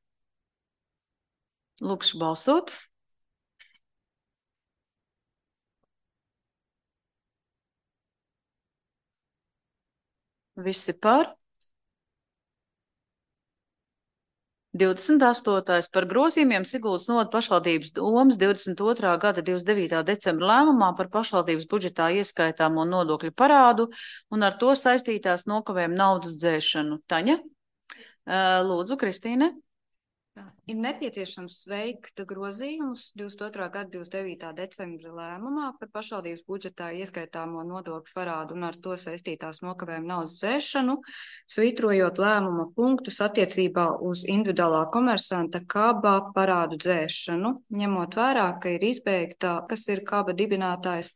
Lūkšu balsot. Visi par? divdesmit astotais par grozījumiem Siguldas novada pašvaldības domes divdesmit otrā gada divdesmit devītā decembra lēmumā par pašvaldības budžetā ieskaitāmo nodokļu parādu un ar to saistītās nokavējumu naudas dzēšanu. Taņa, lūdzu, Kristīne. Ir nepieciešams veikt grozījumus divdesmit otrā gada divdesmit devītā decembra lēmumā par pašvaldības budžetā ieskaitāmo nodokļu parādu un ar to saistītās nokavējuma naudas dzēšanu, svītrojot lēmuma punktus attiecībā uz individuālā komersanta kaba parādu dzēšanu, ņemot vērā, ka ir izbeigta, kas ir kaba dibinātājs,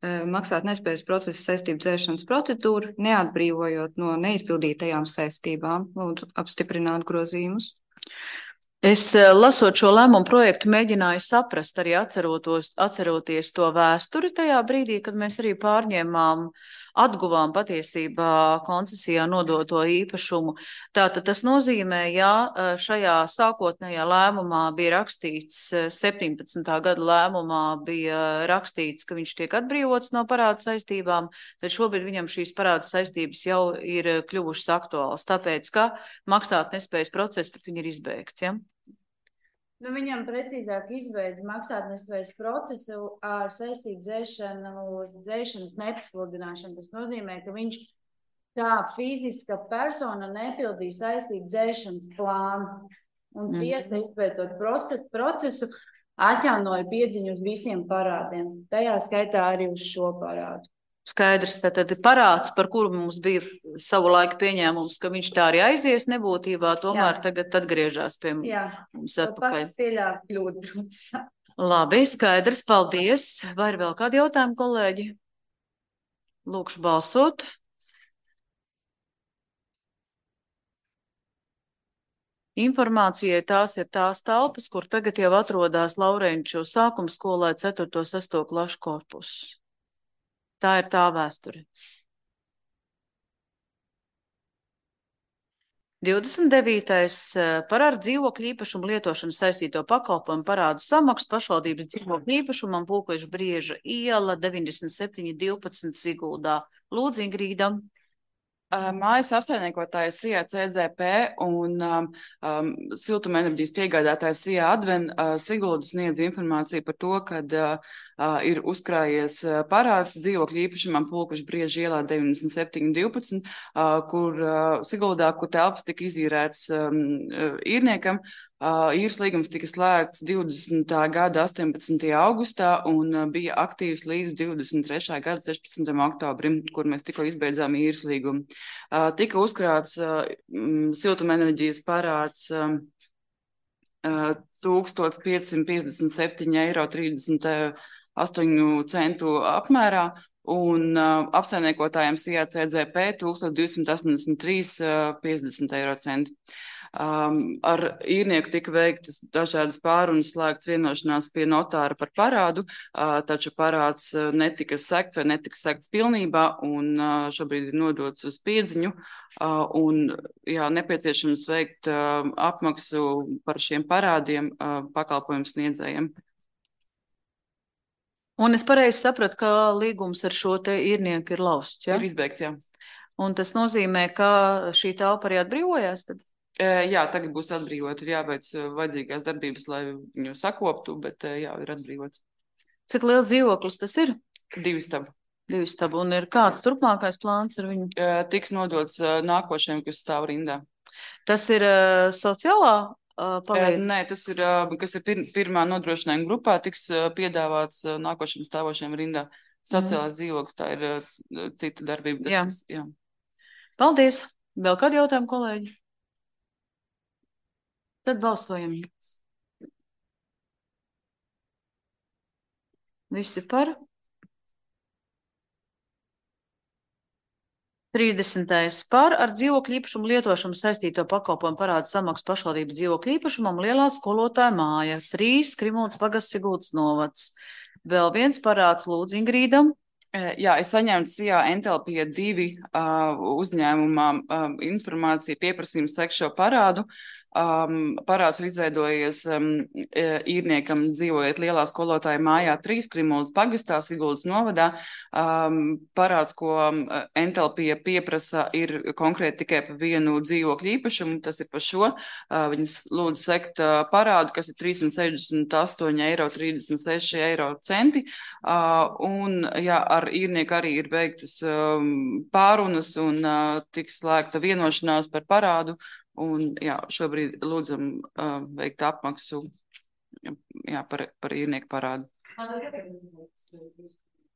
maksāt nespējas procesa saistību dzēšanas procedūru, neatbrīvojot no neizpildītajām saistībām. Lūdzu, apstiprināt grozījumus. Es, lasot šo lēmumu projektu, mēģināju saprast, arī atcerotos, atceroties to vēsturi tajā brīdī, kad mēs arī pārņēmām, atguvām patiesībā koncesijā nodoto īpašumu. Tātad tas nozīmē, ja šajā sākotnējā lēmumā bija rakstīts, septiņpadsmitā gada lēmumā bija rakstīts, ka viņš tiek atbrīvots no parādu saistībām, tad šobrīd viņam šīs parādu saistības jau ir kļuvušas aktuālas, tāpēc, ka maksāt nespējas process, tad viņi ir izbeigts, ja? Nu, viņam precīzāk izbeidz maksātnespējas procesu ar saistību dzēšanu, dzēšanas nepasludināšanu. Tas nozīmē, ka viņš kā fiziska persona nepildīja saistību dzēšanas plānu. Un Mhm. tiesa izpētot proce- procesu atjaunoja piedziņu uz visiem parādiem. Tajā skaitā arī uz šo parādu. Skaidrs, tātad parāds, par kuru mums bija savu laiku pieņēmums, ka viņš tā arī aizies nebūtībā, tomēr Jā. tagad atgriežās pie Jā, mums to atpakaļ. pats pieļāva kļūdu procesā. Labi, skaidrs, paldies. Vai ir vēl kādi jautājumi, kolēģi? Lūkšu balsot. Informācijai tās ir tās telpas, kur tagad jau atrodas Laurenču sākuma skolai ceturto sesto klašu korpusu. Tā ir tā vēsture. divdesmit devītais par ar dzīvokļu īpašumu lietošanu saistīto pakalpojumu parādu samaksu pašvaldības dzīvokļu īpašumam Pulkveža Brieža iela deviņdesmit septiņi divpadsmit Siguldā. Lūdzu, Ingrīda. Mājas apsaimniekotājs S I A C Z P un um, um, siltumenerģijas piegādātājs S I A Adven uh, Sigulda sniedz informāciju par to, ka uh, uh, ir uzkrājies uh, parāds dzīvokļu īpašumam Pulkveža Brieža ielā deviņdesmit septiņi divpadsmit, uh, kur uh, Siguldā, kur telpas tika izīrēts um, uh, īrniekam. Uh, īres līgums tika slēgts divdesmitā gada astoņpadsmitajā augustā un uh, bija aktīvs līdz divdesmit trešā gada sešpadsmitajam oktobrim, kur mēs tikko izbeidzām īres līgumu. Uh, tika uzkrāts uh, um, siltumenerģijas parāds um, uh, tūkstoš piecsimt piecdesmit septiņi eiro trīsdesmit astoņu centu apmērā un uh, apsaimniekotājiem S I A C Z P tūkstoš divsimt astoņdesmit trīs uh, piecdesmit eiro centi. Um, ar īrnieku tika veiktas dažādas pārunas, slēgts vienošanās pie notāra par parādu, uh, taču parāds uh, netika sekts vai netika sekts pilnībā un uh, šobrīd ir nodots uz piedziņu uh, un jā, nepieciešams veikt uh, apmaksu par šiem parādiem uh, pakalpojumu sniedzējiem. Un es pareizi sapratu, ka līgums ar šo te īrnieku ir lausts, ja? Ir izbeigts, jā. Un tas nozīmē, ka šī telpa arī atbrīvojās tad? E, jā, tagad būs atbrīvot, ir jāveic vajadzīgās darbības, lai viņu sakoptu, bet jā, ir atbrīvots. Cik liels dzīvoklis tas ir? Divi stabi. Divi stabi. Un ir kāds turpmākais plāns ar viņu? E, tiks nodots nākošajam, kas stāv rindā. Tas ir uh, sociālā uh, palīdzība? Nē, tas ir, uh, kas ir pir pirmā nodrošinājuma grupā, tiks uh, piedāvāts uh, nākošiem stāvošiem rindā. Sociālās mm. dzīvoklis, tā ir uh, cita darbība. Tas, jā. Kas, jā. Paldies. Vēl kādi jautājumi, kolēģi? Tad balsojam. Visi par? trīsdesmitais par ar dzīvokļu īpašumu lietošanu saistīto pakalpojumu parādu samaksu pašvaldības dzīvokļu īpašumam Lielā skolotāja māja. trīs Krimuldas pagasts Siguldas novads. Vēl viens parāds lūdzu Ingrīdam. Jā, es saņēmu S I A Entelpija divi uh, uzņēmumā um, informāciju, pieprasījumu sekt šo parādu. Um, parāds ir izveidojies um, īrniekam dzīvojot Lielā skolotāja mājā trīs Krimuldas pagastā, Siguldas novadā. Um, parāds, ko um, Entelpija pieprasa, ir konkrēti tikai par vienu dzīvokļu īpašumu, tas ir par šo. Uh, viņas lūdzu sekt uh, parādu, kas ir trīssimt sešdesmit astoņi eiro trīsdesmit seši eiro centi. Uh, un, jā, ar īrnieku arī ir veiktas um, pārunas un uh, tiks slēgta vienošanās par parādu Un, jā, šobrīd lūdzam uh, veikt apmaksu jā, par, par īrnieku parādu.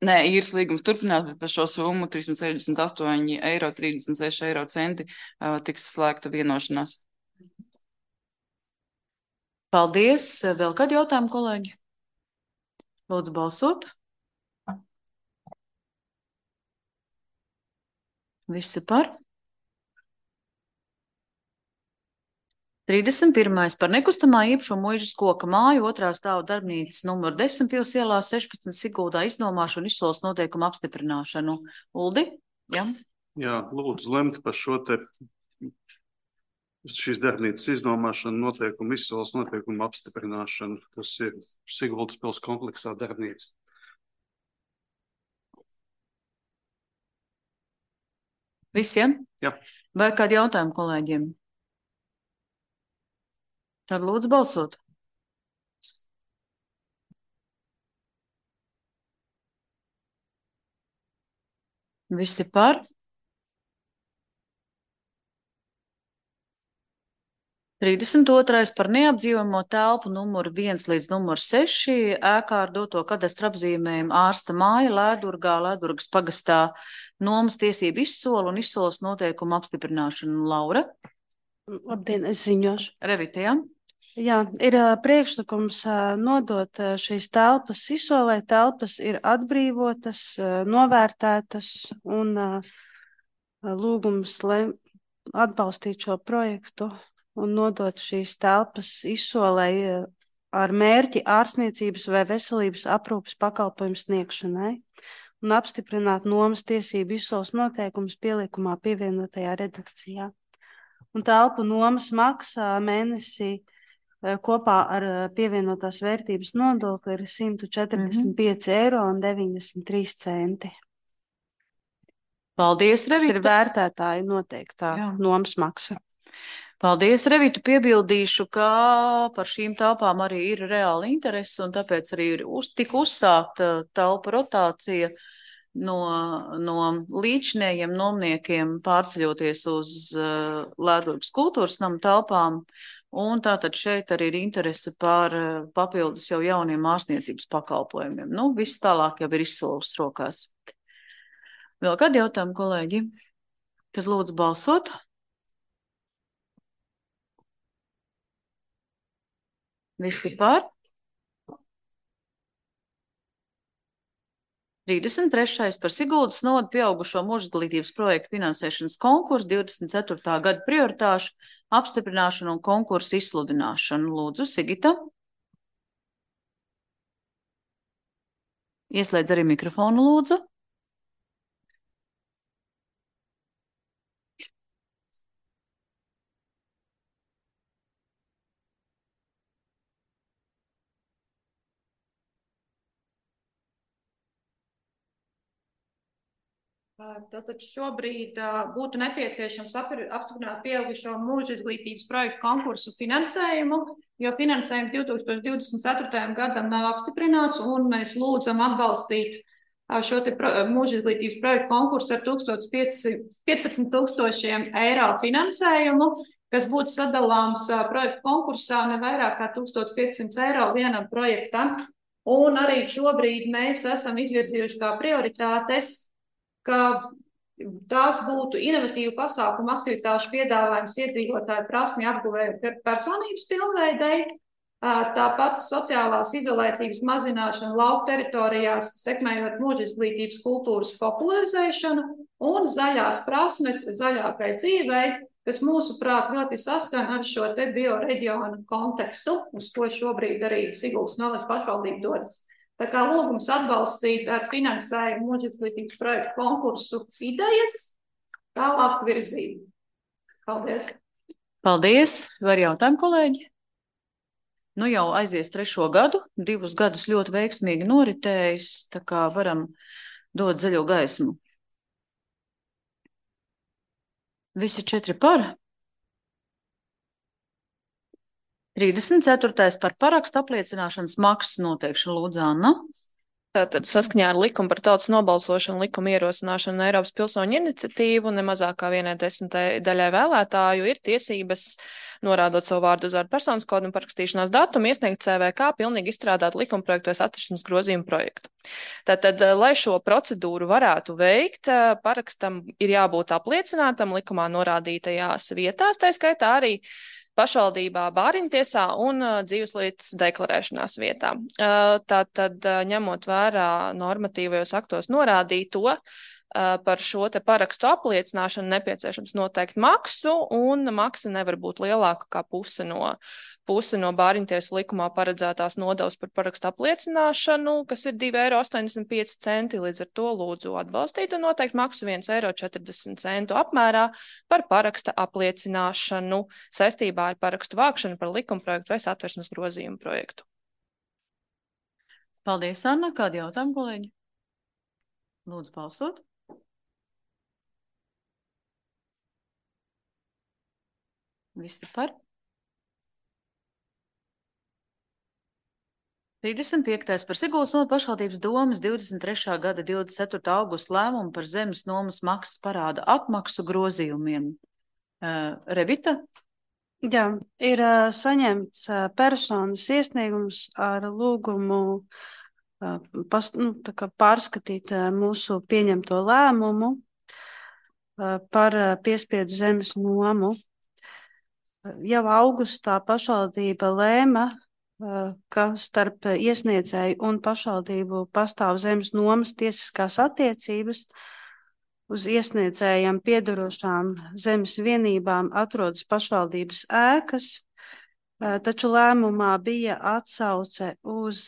Nē, īres līgums turpinās, bet par šo summu trīssimt sešdesmit astoņi eiro trīsdesmit seši eiro centi uh, tiks slēgta vienošanās. Paldies. Vēl kādi jautājumi, kolēģi? Lūdzu balsot. Visi par? trīsdesmit pirmais par nekustamā īpašuma Muižas koka māju otrā stāva darbnīcas numur desmit Pils ielā sešpadsmit Siguldā iznomāšanu un izsoles noteikumu apstiprināšanu. Uldi? Jā. Jā, lūdzu lemt par šo te šīs darbnīcas iznomāšanu, noteikumu izsoles noteikumu apstiprināšanu. Tas ir Siguldas pils kompleksā darbnīca. Visiem? Jā. Vai kādi jautājumi kolēģiem? Tad lūdzu balsot. Visi par? trīsdesmit otrais par neapdzīvojamo telpu numuru viens līdz numuru seši ēkā ar doto kadastra apzīmējumu ārsta māja Lēdurgā, Lēdurgas pagastā nomas tiesību izsolu un izsoles noteikumu apstiprināšanu. Laura? Labdien, es ziņošu. Revita, jā? Jā, ir ā, priekšlikums ā, nodot ā, šīs telpas izsolē. Telpas ir atbrīvotas, ā, novērtētas un ā, lūgums, lai atbalstītu šo projektu un nodot šīs telpas izsolē ā, ar mērķi ārstniecības vai veselības aprūpes pakalpojumu sniegšanai un apstiprināt nomas tiesību izsoles noteikumus pielikumā pievienotajā redakcijā. Un telpu nomas maksā mēnesī kopā ar pievienotās vērtības nodokli ir simt četrdesmit pieci eiro un deviņdesmit trīs centi. Paldies, Revita. Tas ir vērtētāju noteiktā Jā. Nomas maksa. Paldies, Revita. Piebildīšu, ka par šīm telpām arī ir reāla interese, un tāpēc arī ir uz, tik uzsākta telpa rotācija no, no līdzinējiem nomniekiem pārceļoties uz uh, Lēdurgas kultūras namu telpām. Un tātad šeit arī ir interese par papildus jau jauniem ārstniecības pakalpojumiem. Nu, viss tālāk jau ir izsoles rokās. Vēl kādi jautājumi, kolēģi? Tad lūdzu balsot. Visi par? trīsdesmit trešais par Siguldas nodu pieaugušo mūžizglītības projektu finansēšanas konkursu divdesmit ceturtā gada prioritāšu apstiprināšanu un konkursu izsludināšanu. Lūdzu, Sigita. Ieslēdz arī mikrofonu, lūdzu. Tātad šobrīd uh, būtu nepieciešams apstiprināt pieaugušo mūža izglītības projektu konkursu finansējumu, jo finansējums divi tūkstoši divdesmit ceturtajam gadam nav apstiprināts, un mēs lūdzam atbalstīt uh, šo te pro, mūža izglītības projektu konkursu ar piecpadsmit tūkstošiem eiro finansējumu, kas būtu sadalāms uh, projektu konkursā ne vairāk kā tūkstoš piecsimt eiro vienam projektam. Un arī šobrīd mēs esam izvirzījuši kā prioritātes, ka tās būtu inovatīvu pasākumu aktivitāšu piedāvājums iedzīvotāju prasmju apguvēju personības pilnveidei, tāpat sociālās izolētības mazināšana lauku teritorijās, sekmējot mūža izglītības kultūras popularizēšanu un zaļās prasmes zaļākai dzīvei, kas mūsuprāt ļoti saskan ar šo te bioreģionu kontekstu, uz ko šobrīd arī Siguldas novads pašvaldība dodas. Tā kā lūgums atbalstīt ar finansējumu mūža izglītības projektu konkursu idejas, tālāk virzību. Paldies. Paldies. Var jautājumu, kolēģi? Nu jau aizies trešo gadu, divus gadus ļoti veiksmīgi noritējis, tā kā varam dot zaļo gaismu. Visi četri par. trīsdesmit ceturtais par parakstu apliecināšanas maksas noteikšanu, lūdzu, Anna. Tātad saskaņā ar likumu par tautas nobalsošanu, likuma ierosināšanu un Eiropas pilsoņu iniciatīvu nemazāk kā vienai desmitai daļai vēlētāju ir tiesības, norādot savu vārdu uzvārdu personas kodu un parakstīšanās datumu, iesniegt C V K pilnīgi izstrādāt likumprojektos atversmes grozījumu projektu. Tātad, lai šo procedūru varētu veikt, parakstam ir jābūt apliecinātam likumā norādītajās vietās, tā skaitā arī pašvaldībā, bāriņtiesā un uh, dzīveslietas deklarēšanās vietā. Uh, Tātad, uh, ņemot vērā normatīvajos aktos norādīto, uh, par šo te parakstu apliecināšanu nepieciešams noteikt maksu, un maksa nevar būt lielāka kā puse no, puse no bāriņtiesu likumā paredzētās nodevas par parakstu apliecināšanu, kas ir divi eiro astoņdesmit pieci centi, līdz ar to lūdzu atbalstīt un noteikt maksu viens eiro četrdesmit centu apmērā par paraksta apliecināšanu saistībā ar parakstu vākšanu par likumprojektu vai satversmes grozījumu projektu. Paldies, Anna. Kādi jautājumi, kolēģi? Lūdzu, balsot. Visi par? trīsdesmit piektais par Siguldas novadas pašvaldības domes divdesmit trešā gada divdesmit ceturtā augusta lēmumu par zemes nomas maksas parāda atmaksu grozījumiem. Uh, Revita? Jā, ir uh, saņemts uh, personas iesniegums ar lūgumu uh, pas, nu, tā kā pārskatīt uh, mūsu pieņemto lēmumu uh, par uh, piespiedu zemes nomu. Uh, jau augustā pašvaldība lēma, ka starp iesniedzēju un pašvaldību pastāv zemes nomas tiesiskās attiecības. Uz iesniedzējiem piedarošām zemes vienībām atrodas pašvaldības ēkas, taču lēmumā bija atsauce uz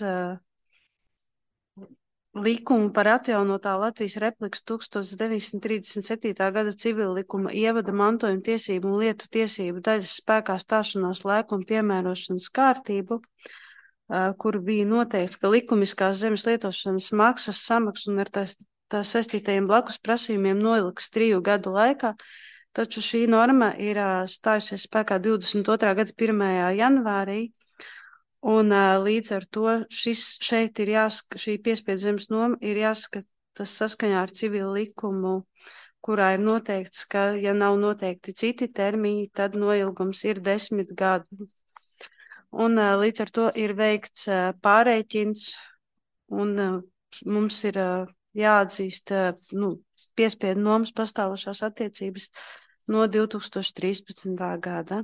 likumu par atjaunotā Latvijas Republikas tuksstoš deviņsimt trīsdesmit septītā gada civila likuma ievada mantojuma tiesību un lietu tiesību daļas spēkā stāšanās laiku un piemērošanas kārtību, kur bija noteikts, ka likumiskās zemes lietošanas maksas samaksu un ar tā, tā saistītajiem blakus prasījumiem noliks triju gadu laikā, taču šī norma ir stājusies spēkā divdesmit otrā gada pirmajā janvārī. Un uh, līdz ar to šis šeit ir jāskata, šī piespiedu zemes noma ir jāskata saskaņā ar civilu likumu, kurā ir noteikts, ka, ja nav noteikti citi termiņi, tad noilgums ir desmit gadi. Un uh, līdz ar to ir veikts uh, pārreikins, un uh, mums ir uh, jāatzīst uh, nu, piespiedu nomas pastāvošās attiecības no divtūkstoš trīspadsmitā gada.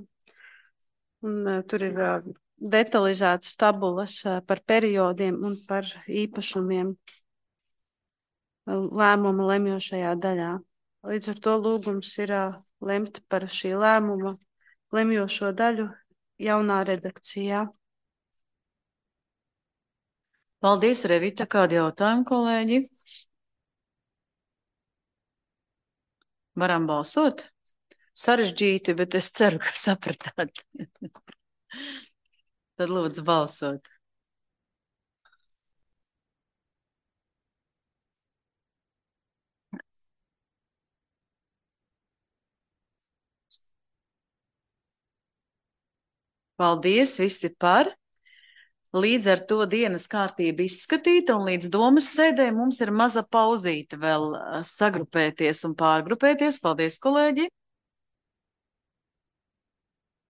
Un uh, tur ir uh, detalizētas tabulas par periodiem un par īpašumiem lēmuma lemjošajā daļā. Līdz ar to lūgums ir lemt par šī lēmuma lemjošo daļu jaunā redakcijā. Paldies, Revita. Kādi jautājumi, kolēģi? Varam balsot? Sarežģīti, bet es ceru, ka sapratāt. Tad lūdzu balsot. Paldies, visi par. Līdz ar to dienas kārtība izskatīta, un līdz domas sēdē mums ir maza pauzīte vēl sagrupēties un pārgrupēties. Paldies, kolēģi!